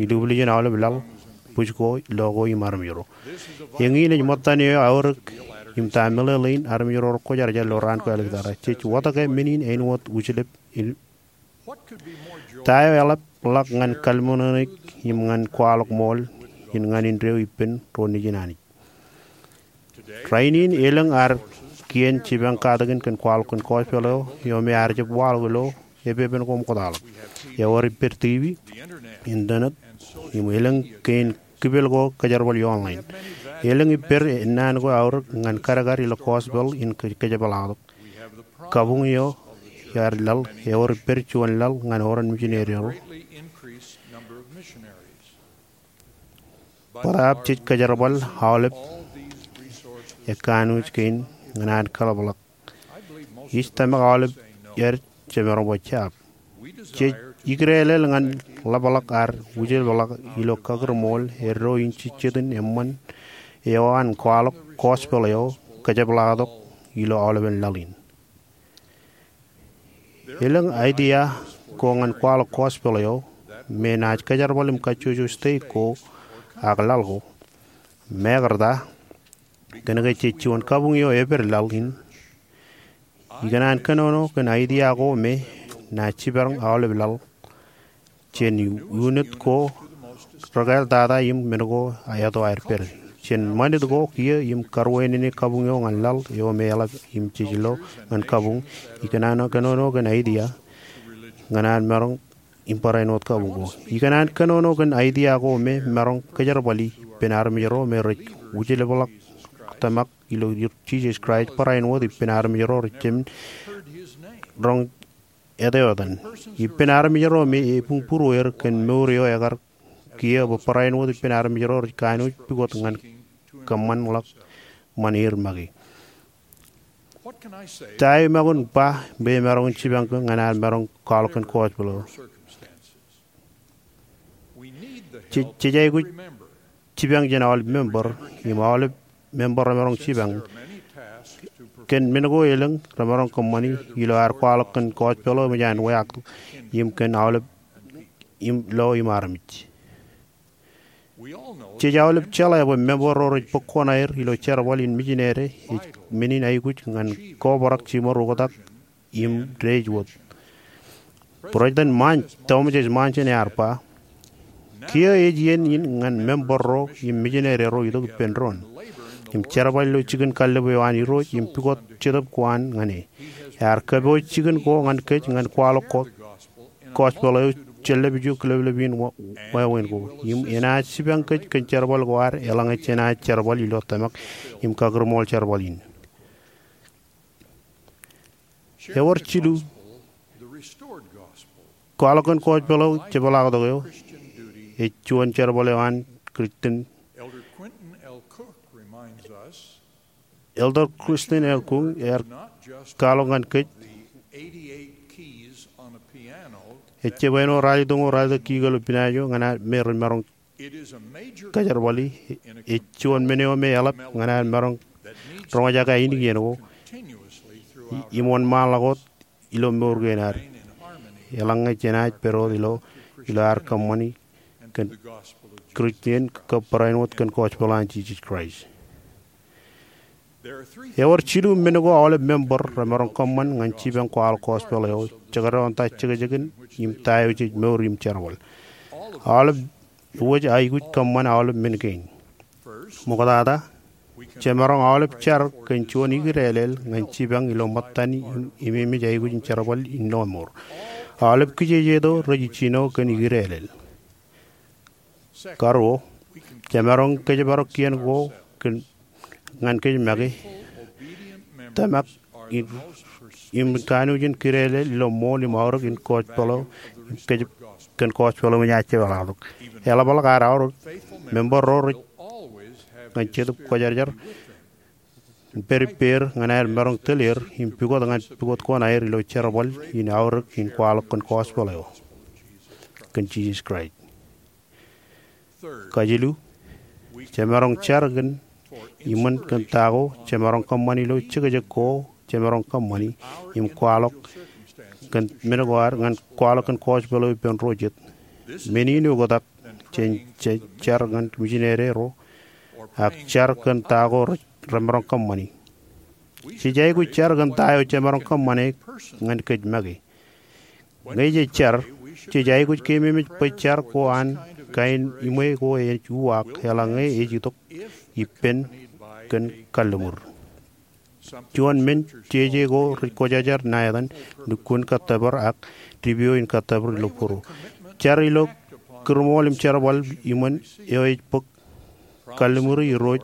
Ilubwiljin aolep laḷ, bwij ko, lo ko im armej ro. Eñin ej ṃōttan eo eaorōk im ta meḷeḷein armej ro rekwōjarjar ilo raan ko āliktata. Jej wōtkā men in āinwōt wūjlep in. Ta eo eḷap ḷọk ñan kalliṃur eṇ im ñan kwaḷọk ṃool in ñan indeeo ippān ro nejin Anij. Rainin elōñ ad kien jipañ katakin kōn kwaḷọk kōn gospel eo, eo me ear jab waḷọk ilo epepen ko ṃoktaḷọk. Ewōr ippād TV, internet, im elōñ kein kipel ko kōjerbal ioon ḷain. Elōñ ippād ennaan ko eaorōk ñan kadkad ilo gospel in kō-, kōjepḷaaktok. Kabuñ eo ear laḷ, ewōr ippād juon laḷ ñan oran mijineri ro. Bōtaab jej kōjerbal aolep ekkanooj kein ñan ad kōḷapḷọk. Ij tōmak aolep aer jemaroñ bwe jab. Jej ikdeḷeḷ ñan ḷapḷọk ad wūjlepḷọk ilo kakūrmool eddo in jejjet in eṃṃan eo an kwaḷọk gospel eo kōjepḷaaktok ilo aolepen laḷ in. Elōñ idea ko ñan kwaḷọk gospel eo me enaaj kōjerbal im kajjojo state ko ak laḷ ko. Mekarta, kōnke jej juon kabuñ eo epād laḷ in, ikōṇaan kōnono kōn idea ko me enaaj jipañ aolep laḷ jān unit ko rekaḷtata im men ko eto aer pād. Jān ṃanit ko kiiō im karuwainene kabuñ eo ñan laḷ eo me eḷap im jej lo ñan kabuñ, ikōṇaan kōnono kōn idea ñan an maroñ im barāinwōt kabuñ ko. Ikōṇaan kōnono kōn idea ko me maroñ kōjerbali ippān armej ro me rej wūjlepḷọk tōmak ilo Jisōs Kraist barāinwōt ippān armej ro rej jab roñ eteetan. Ippān armej ro me ebuñbūrueir kōn mour eo ekar kiiō bwe barāinwōt ippān armej ro rej kanooj pukot ñan kōṃṃanḷọk ṃan er make. Ta eo imaroñ ba bwe emaroñ jipañ ñan ad maroñ kwaḷọk kōn gospel eo? Jej, jej aikuj jipañ jān aolep member, im aolep member emaroñ jipañ Kōn men ko elōñ remaroñ kōṃṃani ilo ad kwaḷọk kōn gospel eo eṃōj an weaaktok im kōn aolep im lo im armej. Jej aolep jeḷā bwe member ro rej bōk koṇaer ilo jerbal in mijinere ej men in aikuj ñan kobrak jiṃor oktak im deej wōt. President Monson, Thomas S. Monson ear ba, kiiō ej iien in ñan member ro im mijinere ro itok ippān doon im jerbal ilo jikin kallib eo an Irooj im pukot Jetōb ko an ñan e. Ear kōpooj jikin ko ñan kōj ñan kwaḷọk gospel eo jān lepiju kileplep in wāween ko im enaaj jipañ kōj kōn jerbal ko ad eḷaññe jenaaj jerbal ilo tōmak im kakūrmool jerbal in. Ewōr jilu, kwaḷọk kōn gospel eo jepḷaaktok eo ej juon jerbal eo an Christian. Elder Christian L. Kung ear kwaḷọk ñan kōj, ejjab āinwōt ralitōñoul ralitōk key ilo pianaaj eo ñan ad me rej maroñ kōjerbali. Ej juon men eo me eḷap ñan ad maroñ roñjake ainikien ko im wōnṃaanḷọk wōt ilo mour kein ad eḷaññe jenaaj pād wōt ilo ilo ad kōṃṃani kōn Christian kab barāinwōt kōn gospel an Jisōs Kraist. Ewōr jilu men ko aolep member remaroñ kōṃṃan ñan jipañ kwaḷọk gospel eo, jekdọọn ta jekjekin im ta eo jej mour im jerbal. Aolep wōj aikuj kōṃṃan aolep men kein. Ṃoktata, jemaroñ aolep jar kōn juon ikidālel ñan jipañ ilo ṃōttan im ememej aikuj in jerbal in lọmọọr. Aolep kijejeto rej jino kōn ikidālel. Karuo, jemaroñ kōjparok kien ko ñan kōj make, tōmak im kanooj in kidālel ilo ṃool im aorōk in gospel eo, kōn gospel eo eṃōj an jepḷaaktok. Eḷapḷọk ad aorōk, member ro rej ñan Jetōb Kwōjarjar im pād ippāer ñan aer maroñ tōl er im pukot ñan pukot koṇaer ilo jerbal in aorōk in kwaḷọk kōn gospel eo kōn Jisōs Kraist. Kajilu, jemaroñ jar kōn iṃōn kōn ta ko jemaroñ kōṃṃani ilo jekjek ko jemaroñ kōṃṃani im kwaḷọk kōn men ko ad ñan kwaḷọk kōn gospel eo ippān ro jet. Men in oktak jān jej jar ñan mijinere ro ak jar kōn ta ko remaroñ kōṃṃani. Jej aikuj jar kōn ta eo jemaroñ kōṃṃane ñan kōj make. Ñe jej jar, jej aikuj keememej bwe jar ko an kain iṃwe ko ej uwaak eḷaññe ej itok ippān kōn kalliṃur. Juon men jeje ko rej kwōjarjar ṇa etan lukkuun kōttōpar ak dipeo in kōttōpar ilo būruō. Jar ilo kūrmool im jerbal iṃōn eo ej bōk kalliṃuri Irooj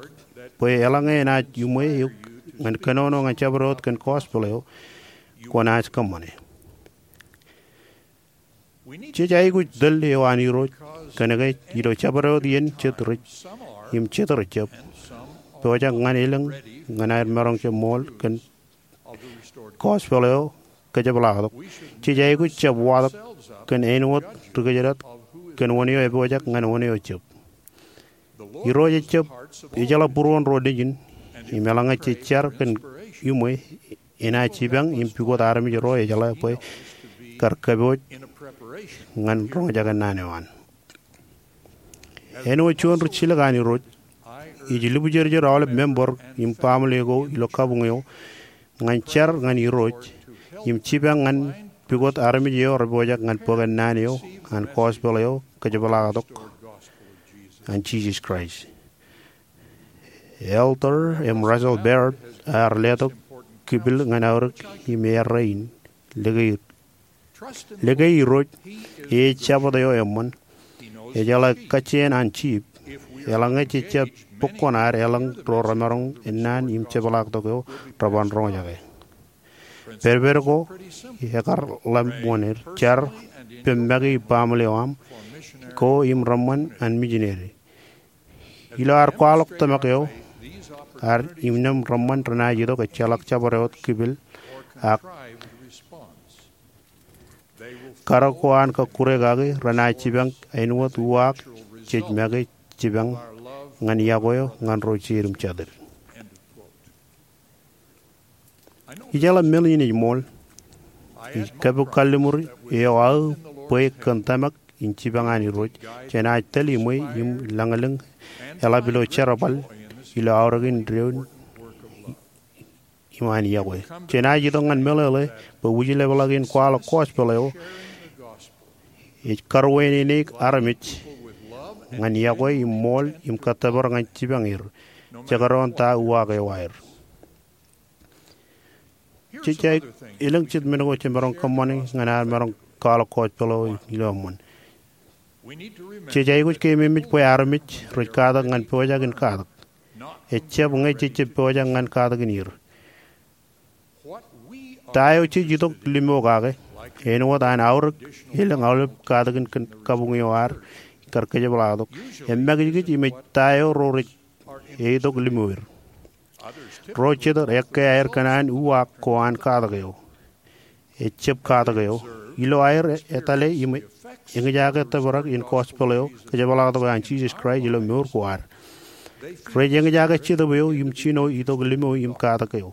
bwe eḷaññe enaaj iṃwe eok ñan kōnono ñan jabdewōt kōn gospel eo, kwōnaaj kōṃṃane. Jej aikuj tōl eo an Irooj kōnke ilo jabdewōt iien jet rej im jet rejjab pojak ñan elōñ ñan aer maroñ jab ṃool kōn gospel eo kōjepḷaaktok. Jej aikuj jab watōk kōn āinwōt ri kōjdat kōn wōn eo epojak ñan wōn eo ejjab. Irooj ejjab ejeḷā būruon ro nejin im eḷaññe jej jar kōn iṃwe enaaj jipañ im pukot armej ro ejeḷā bwe kar kōpooj ñan roñjake naan eo an. Āinwōt juon rijjilōk an Irooj, ij lubjerjer aolep member im baaṃle ko ilo kabuñ eo ñan jar ñan Irooj im jipañ ñan pukot armej eo repojak ñan bōkān naan eo an gospel eo kōjepḷaaktok an Jisōs Kraist. Elder M. Russell Ballard ear letok kipil ñan aorōk im errā in, Lōke Irooj, e ej Jabōt eo eṃṃan. Ejeḷā kajjien an jiip. Eḷaññe jej jab bōk koṇaad elōñ ro remaroñ naan im jepḷaaktok eo reban roñjake. Pedped ko ekar ḷōmṇak wōn er, jar, pem make baaṃle eo aṃ ko im reṃṃan an mijineri. Ilo ad kwaḷọk tōmak eo, ad innām reṃṃan renaaj itok ejjeḷọk jabdewōt kipil ak karōk ko an kọkkure kaki renaaj jipañ āinwōt uwaak jej make jipañ ñan iọkwe eo ñan ro jeid im jatid. Ijeḷā men in ej ṃool. Ij kōpooje kalliṃur eo aō bwe kōn tōmak in jipañ an Irooj, jenaaj tōl iṃwe im lañlōñ eḷap ilo jerbal ilo aorōk in doon im an yokwe. Jenaaj itok ñan meḷeḷe bwe wūjlepḷọk in kwaḷọk gospel eo ej karuwaineneik armej ñan yokwe im ṃool im kōttōpar ñan jipañ er, jekdọọn ta uwaak eo aer. Jej aikuj, elōñ jet men ko jemaroñ kōṃṃane ñan ad maroñ kwaḷọk gospel eo ilo eṃṃan. Jej aikuj ke ememej bwe armej rej katak ñan pojak in katak, ejjab ñe jejjab pojak ñan katakin er. Ta eo jej itok limo kake, āinwōt an aorōk elōñ aolep katakin kōn kabuñ eo ad kar kōjepḷaaktok, emakijkij im ej ta eo ro rej itok limoer. Ro jet ekkā aer kōṇaan uwaak ko an katak eo, ejjab katak eo, ilo aer etale im eñjake tōprak in gospel eo kōjepḷaaktok an Jisōs Kraist ilo mour ko ad. Rej eñjake Jetōb eo im jino itok limo im katak eo.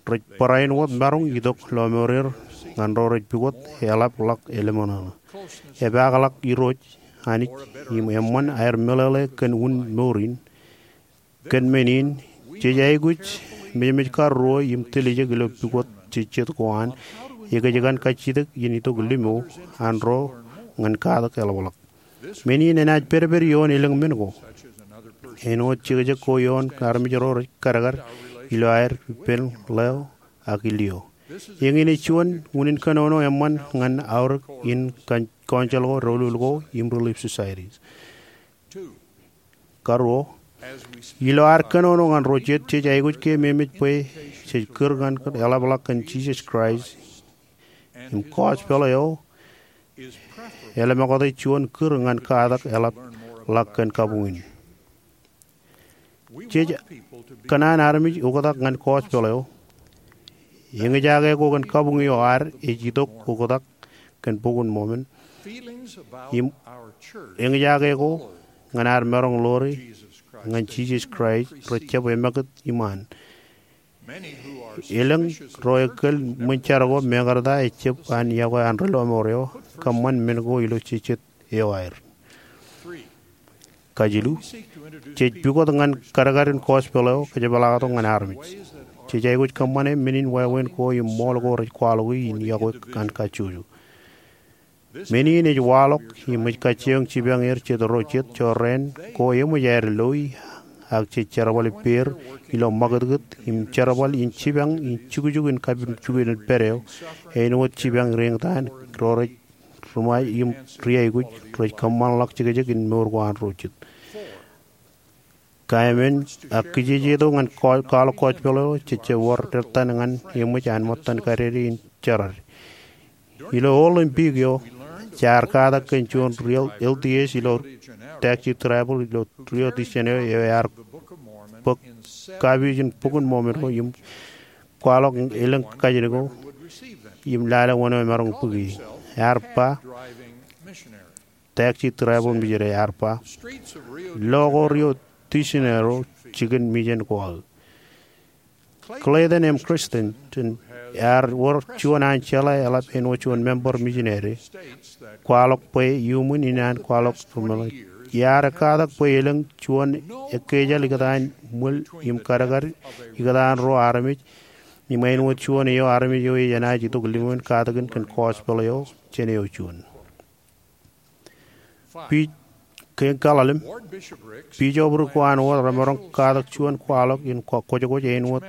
Rej barāinwōt maroñ itok lọmọọr er ñan ro rej pukot eḷapḷọk eḷōmṇōṇō, epaakḷọk Irooj Anij im eṃṃan aer meḷeḷe kōn un mour in. Kōn men in, jej aikuj mejmej karuo im tiljek ilo pukot jejjet ko an ekōjkan kajjitōk in itok limo an ro ñan katak eḷapḷọk. Men in enaaj pedped ioon elōñ men ko. Āinwōt jekjek ko ioon armej ro rej kadkad ilo aer ippān ḷeo ak ilio. Eñin ej juon unin kōnono eṃṃan ñan aorōk in kōn council ko, doulul ko, im Relief Societies. Karuo, ilo ad kōnono ñan ro jet, jej aikuj ke ememej bwe jej kūr ñan eḷapḷọk kōn Jisōs Kraist im gospel eo eḷapḷọk ej juon kūr ñan katak eḷapḷọk kōn kabuñ in. Jej kōṇaan armej oktak ñan gospel eo. Eñjake ko kōn kabuñ eo ad ej itok oktak kōn Bok in Mọmon im eñjake ko ñan ad maroñ ḷoore ñan Jisōs Kraist rej jab emakūt iṃaan. Elōñ ro ekōl ṃōn jar ko mekarta ejjab an yokwe an ri lọmọọr eo kōṃṃan men ko ilo jejjet eo aer. Kajilu, jej pukot ñan kadkadin gospel eo kōjepḷaaktok ñan armej. Jej aikuj kōṃṃane men in wāween ko im ṃool ko rej kwaḷọki in yokwe an kajjojo. Men in ej waḷọk im ej kajjioñ jipañ er jet ro jet jorrāān ko eṃōj aer loi, ak jej jerbal ippāer ilo ṃakūtkūt im jerbal in jipañ in jukjuk in kapin juon pād eo, āinwōt jipañ reeñtaan ro rej ri-ṃae im ri-aikuj rej kōṃṃanḷọk jekjek in mour ko an ro jet. Kaemān, ak kijejeto ñan kwaḷọk gospel eo jejjab wōr ettan ñan eṃōj an ṃōttan kadede in jerad. Ilo Olympic eo, jaar katak kōn juon L T S ilo taxi driver ilo Rio de Janeiro eo ear bōk kapiij in Bok in Mọmon eo im kwaḷọk elōñ kajin ko im lale wōn eo emaroñ bōki. Ear ba, taxi driver mijin eo ear ba, lo ko Rio de Janeiro jikin mijen ko aō. Clayton M. Christensen ear wōr juon an jeḷā eḷap āinwōt juon member mijineri, kwaḷọk bwe iuṃwin in an kwaḷọk ri-ṃōṇōṇō, iar katak bwe elōñ juon ekkejeḷ ikōtaan ṃwil im kadkad ikōtaan ro armej im āinwōt juon eo armej eo enaaj itok limoin katakin kōn gospel eo jān eo juon. Pi-, kein kaḷalem, bisoprik ko an wōt remaroñ katak juon kwaḷọk in kwōjkwōj āinwōt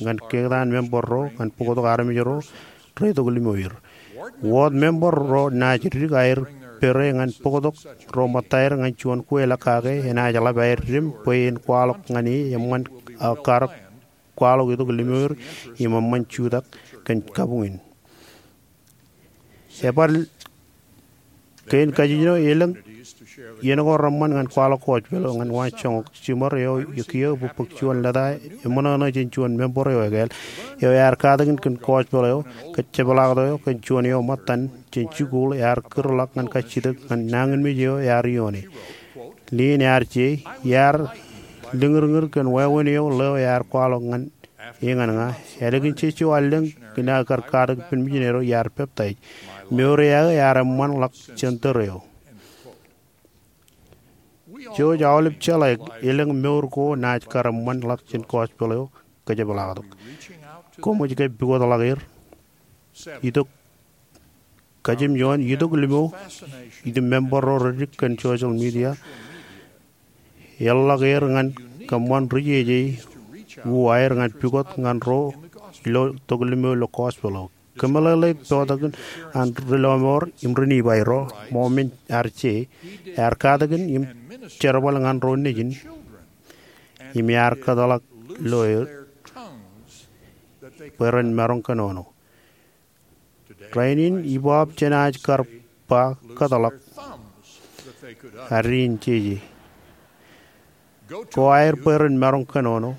ñan kein member ro ñan bōktok armej ro reitok limoer. Wōt member ro naaj dik aer pere ñan bōktok ro ṃōttaer ñan juon kweilọk kake enaaj ḷap aer dim bwe en kwaḷọk ñan e eṃṃan aō karōk kwaḷọk itok limoer im eṃṃan jutak kōn kabuñ in. Ebar kein kajin eo elōñ iien ko reṃṃan ñan kwaḷọk gospel eo ñan waanjoñak. Jiṃor eo kiiō bōkbōk juon lōta eṃōṇōṇō jān juon member eo ekāāl eo ear katakin kōn gospel eo kōjepḷaaktok eo kōn juon eo ṃōttan jān jikuuḷ ear kūrḷọk ñan kajjitōk ñan nañinmej eo ear ioone. Lien ear je, iar liñūrñūr kōn wāween eo ḷeo ear kwaḷọk ñan Eñin ña, ālikin jejjo allōñ in aō kar katak ippān mijineri eo, iar peptaij. Mour eo aō ear eṃṃanḷọk jān tōre eo. Jouj aolep jeḷā elōñ mour ko naaj kar eṃṃanḷọk jān gospel eo kōjepḷaaktok. Koṃij ke pukotḷọk er, itok kajin juon itok limo, ij member ro redik kōn social media, eḷḷọk er ñan kōṃṃan ri jeje uwaer ñan pukot ñan ro ilo itok limo ilo gospel eo. Kōmeḷeḷe peotakin an ri lọmọọr im ri Nifai ro, ṃool men ear je, ear katakin im jerbal ñan ro nejin, im ear kōtḷọk lo er bwe ren maroñ kōnono. Rainin ibaobjenaaj kar ba kōtḷọk ad in jeje. Ko aer bwe ren maroñ kōnono.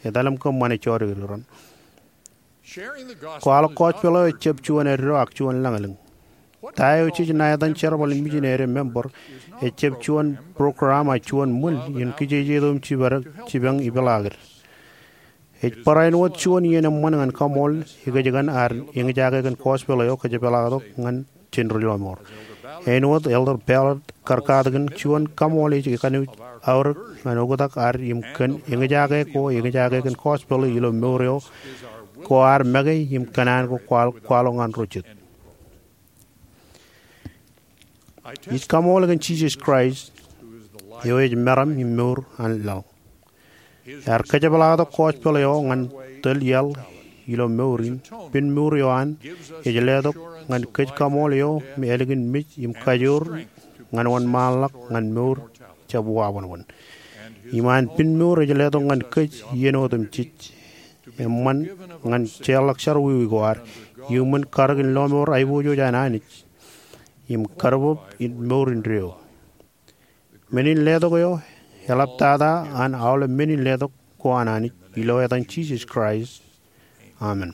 Etal im kōṃṃane jodikdik ren. Kwaḷọk gospel eo ejjab juon eddo ak juon lañlōñ. Ta eo jej ṇa etan jerbal in mijineri member ejjab juon program ak juon ṃwil in kijejeto im jibadek jipañ ipeḷaakid. Ej barāinwōt juon iien eṃṃan ñan kaṃool ekōjkan ad eñjake kōn gospel eo kōjepḷaaktok ñan jān ri lọmọọr. Āinwōt Elder Ballard kar katakin, juon kaṃool ej kanooj aorōk ñan oktak ad im kōn eñjake ko eñjake kōn gospel ilo mour eo ko ad make im kōṇaan ko kwaḷọk ñan ro jet. Ij kaṃool kōn Jisōs Kraist eo ej meram im mour an laḷ. Ear kōjepḷaaktok gospel eo ñan tōl iaḷ ilo mour in. Pen mour eo an ej letok ñan kōj kaṃool eo me ālikin mej im kajoor ñan wōnṃaanḷọk ñan mour jab wabōnbōn. Im an pen mour ej letok ñan kōj iien otemjej eṃṃan ñan jeorḷọk jerọwiwi ko ad iuṃwin karōk in lọmọọr aiboojoj an Anij im kōrbob in mour indeeo. Men in letok eo eḷaptata an aolep men in letok ko an Anij, ilo etan Jisōs Kraist, amen.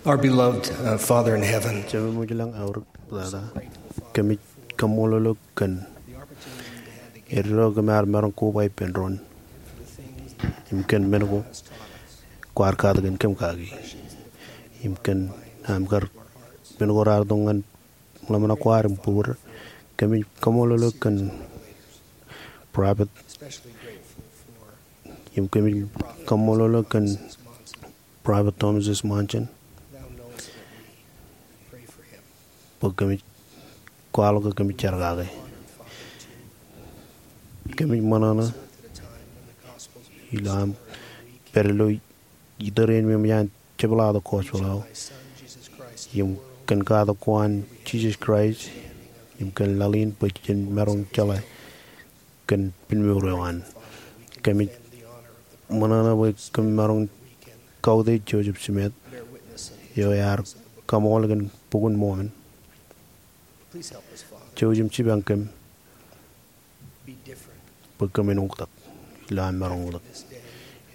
Our beloved uh, Father in heaven, Jemem eo ilañ eor iptata, kōmij kaṃṃoolol eok kōn eddo kōm ar maroñ koba ippān doon im kōn men ko kwaar katakin kōm kaki im kōn aṃ kar men ko raar itok ñan ḷōmṇak ko ad im bōd. Kōmij kaṃṃoolol eok kōn Prophet im kōmij kaṃṃoolol eok kōn Prophet Thomas S. Monson bwe kōmij kwaḷọk ke kōmij jar kake. Kōmij ṃōṇōṇō ilo aṃ pād ilo itōrein me eṃōj an jepḷaaktok gospel eo im kōn katak ko an Jesus Christ im kōn laḷ in bwe jen maroñ jeḷā kōn pinmour eo an. Kōmij ṃōṇōṇō bwe kōm maroñ kautiej Joseph Smith eo ear kaṃool kōn Bok in Mormon. Jouj im jipañ kōm bwe kōmin oktak ilo aṃ maroñ oktak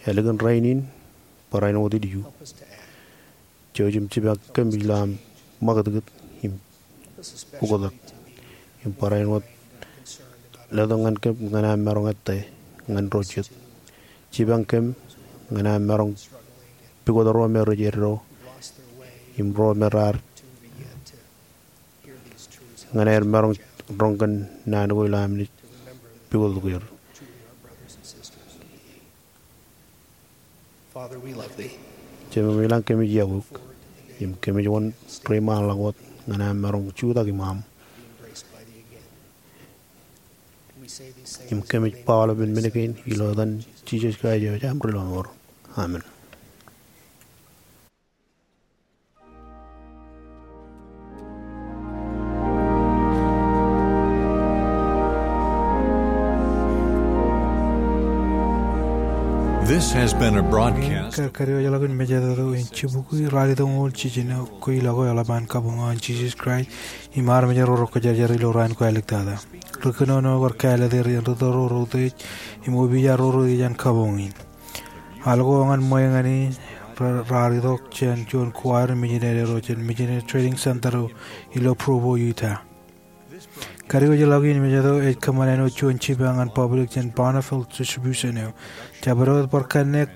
ālikin rainin barāinwōt ilju. Jouj im jipañ kōm ilo aṃ ṃakūtkūt im oktak im barāinwōt letok ñan kōm ñan aṃ maroñ ettā ñan ro jet. Jipañ kōm ñan aṃ maroñ pukot ro me rej eddo im ro me raar ñan aer maroñ roñ kōn naan ko ilo am naaj pukot ḷọk er. Father, we love thee. Jemem ilañ, kōmij iọkwe eok im kōmij wōn reiṃaanḷọk wōt ñan aṃ maroñ jutak iṃaaṃ im kōmij ba aolepān men kein ilo etan Jesus Christ eo ej aṃ Rilọmọọr. Amen. This has been a broadcast. Kar, kar eo ej ḷọk in mejād eo in jibukwi ralitōñoul jiljino ko ilo ko eḷap an kabuñ eo an Jesus Christ im armej ro rej kōjerajer ilo raan ko āliktata. Ri kōnono bar kāālōt er iien ri tōro ro utiej im opiij ro ro utiej an kabuñ in. Al ko ñan ṃweiuk ñan e raar itok jān juon kuwār in mijinede ro jān Missionary Training Center eo ilo Provo, Utah. Kar eo ej ḷọk in mejād eo ej kōṃṃan āinwōt juon jipañ ñan public jān Bonneville Distribution eo. Jabdewōt bar kanniōk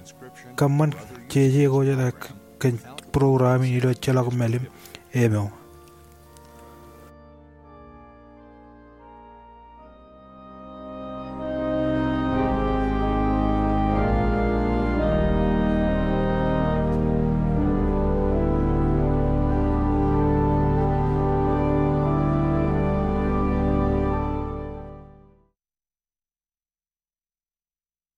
kōṃṃan jeje ko jet kōn program in ilo ejjeḷọk mālim eo.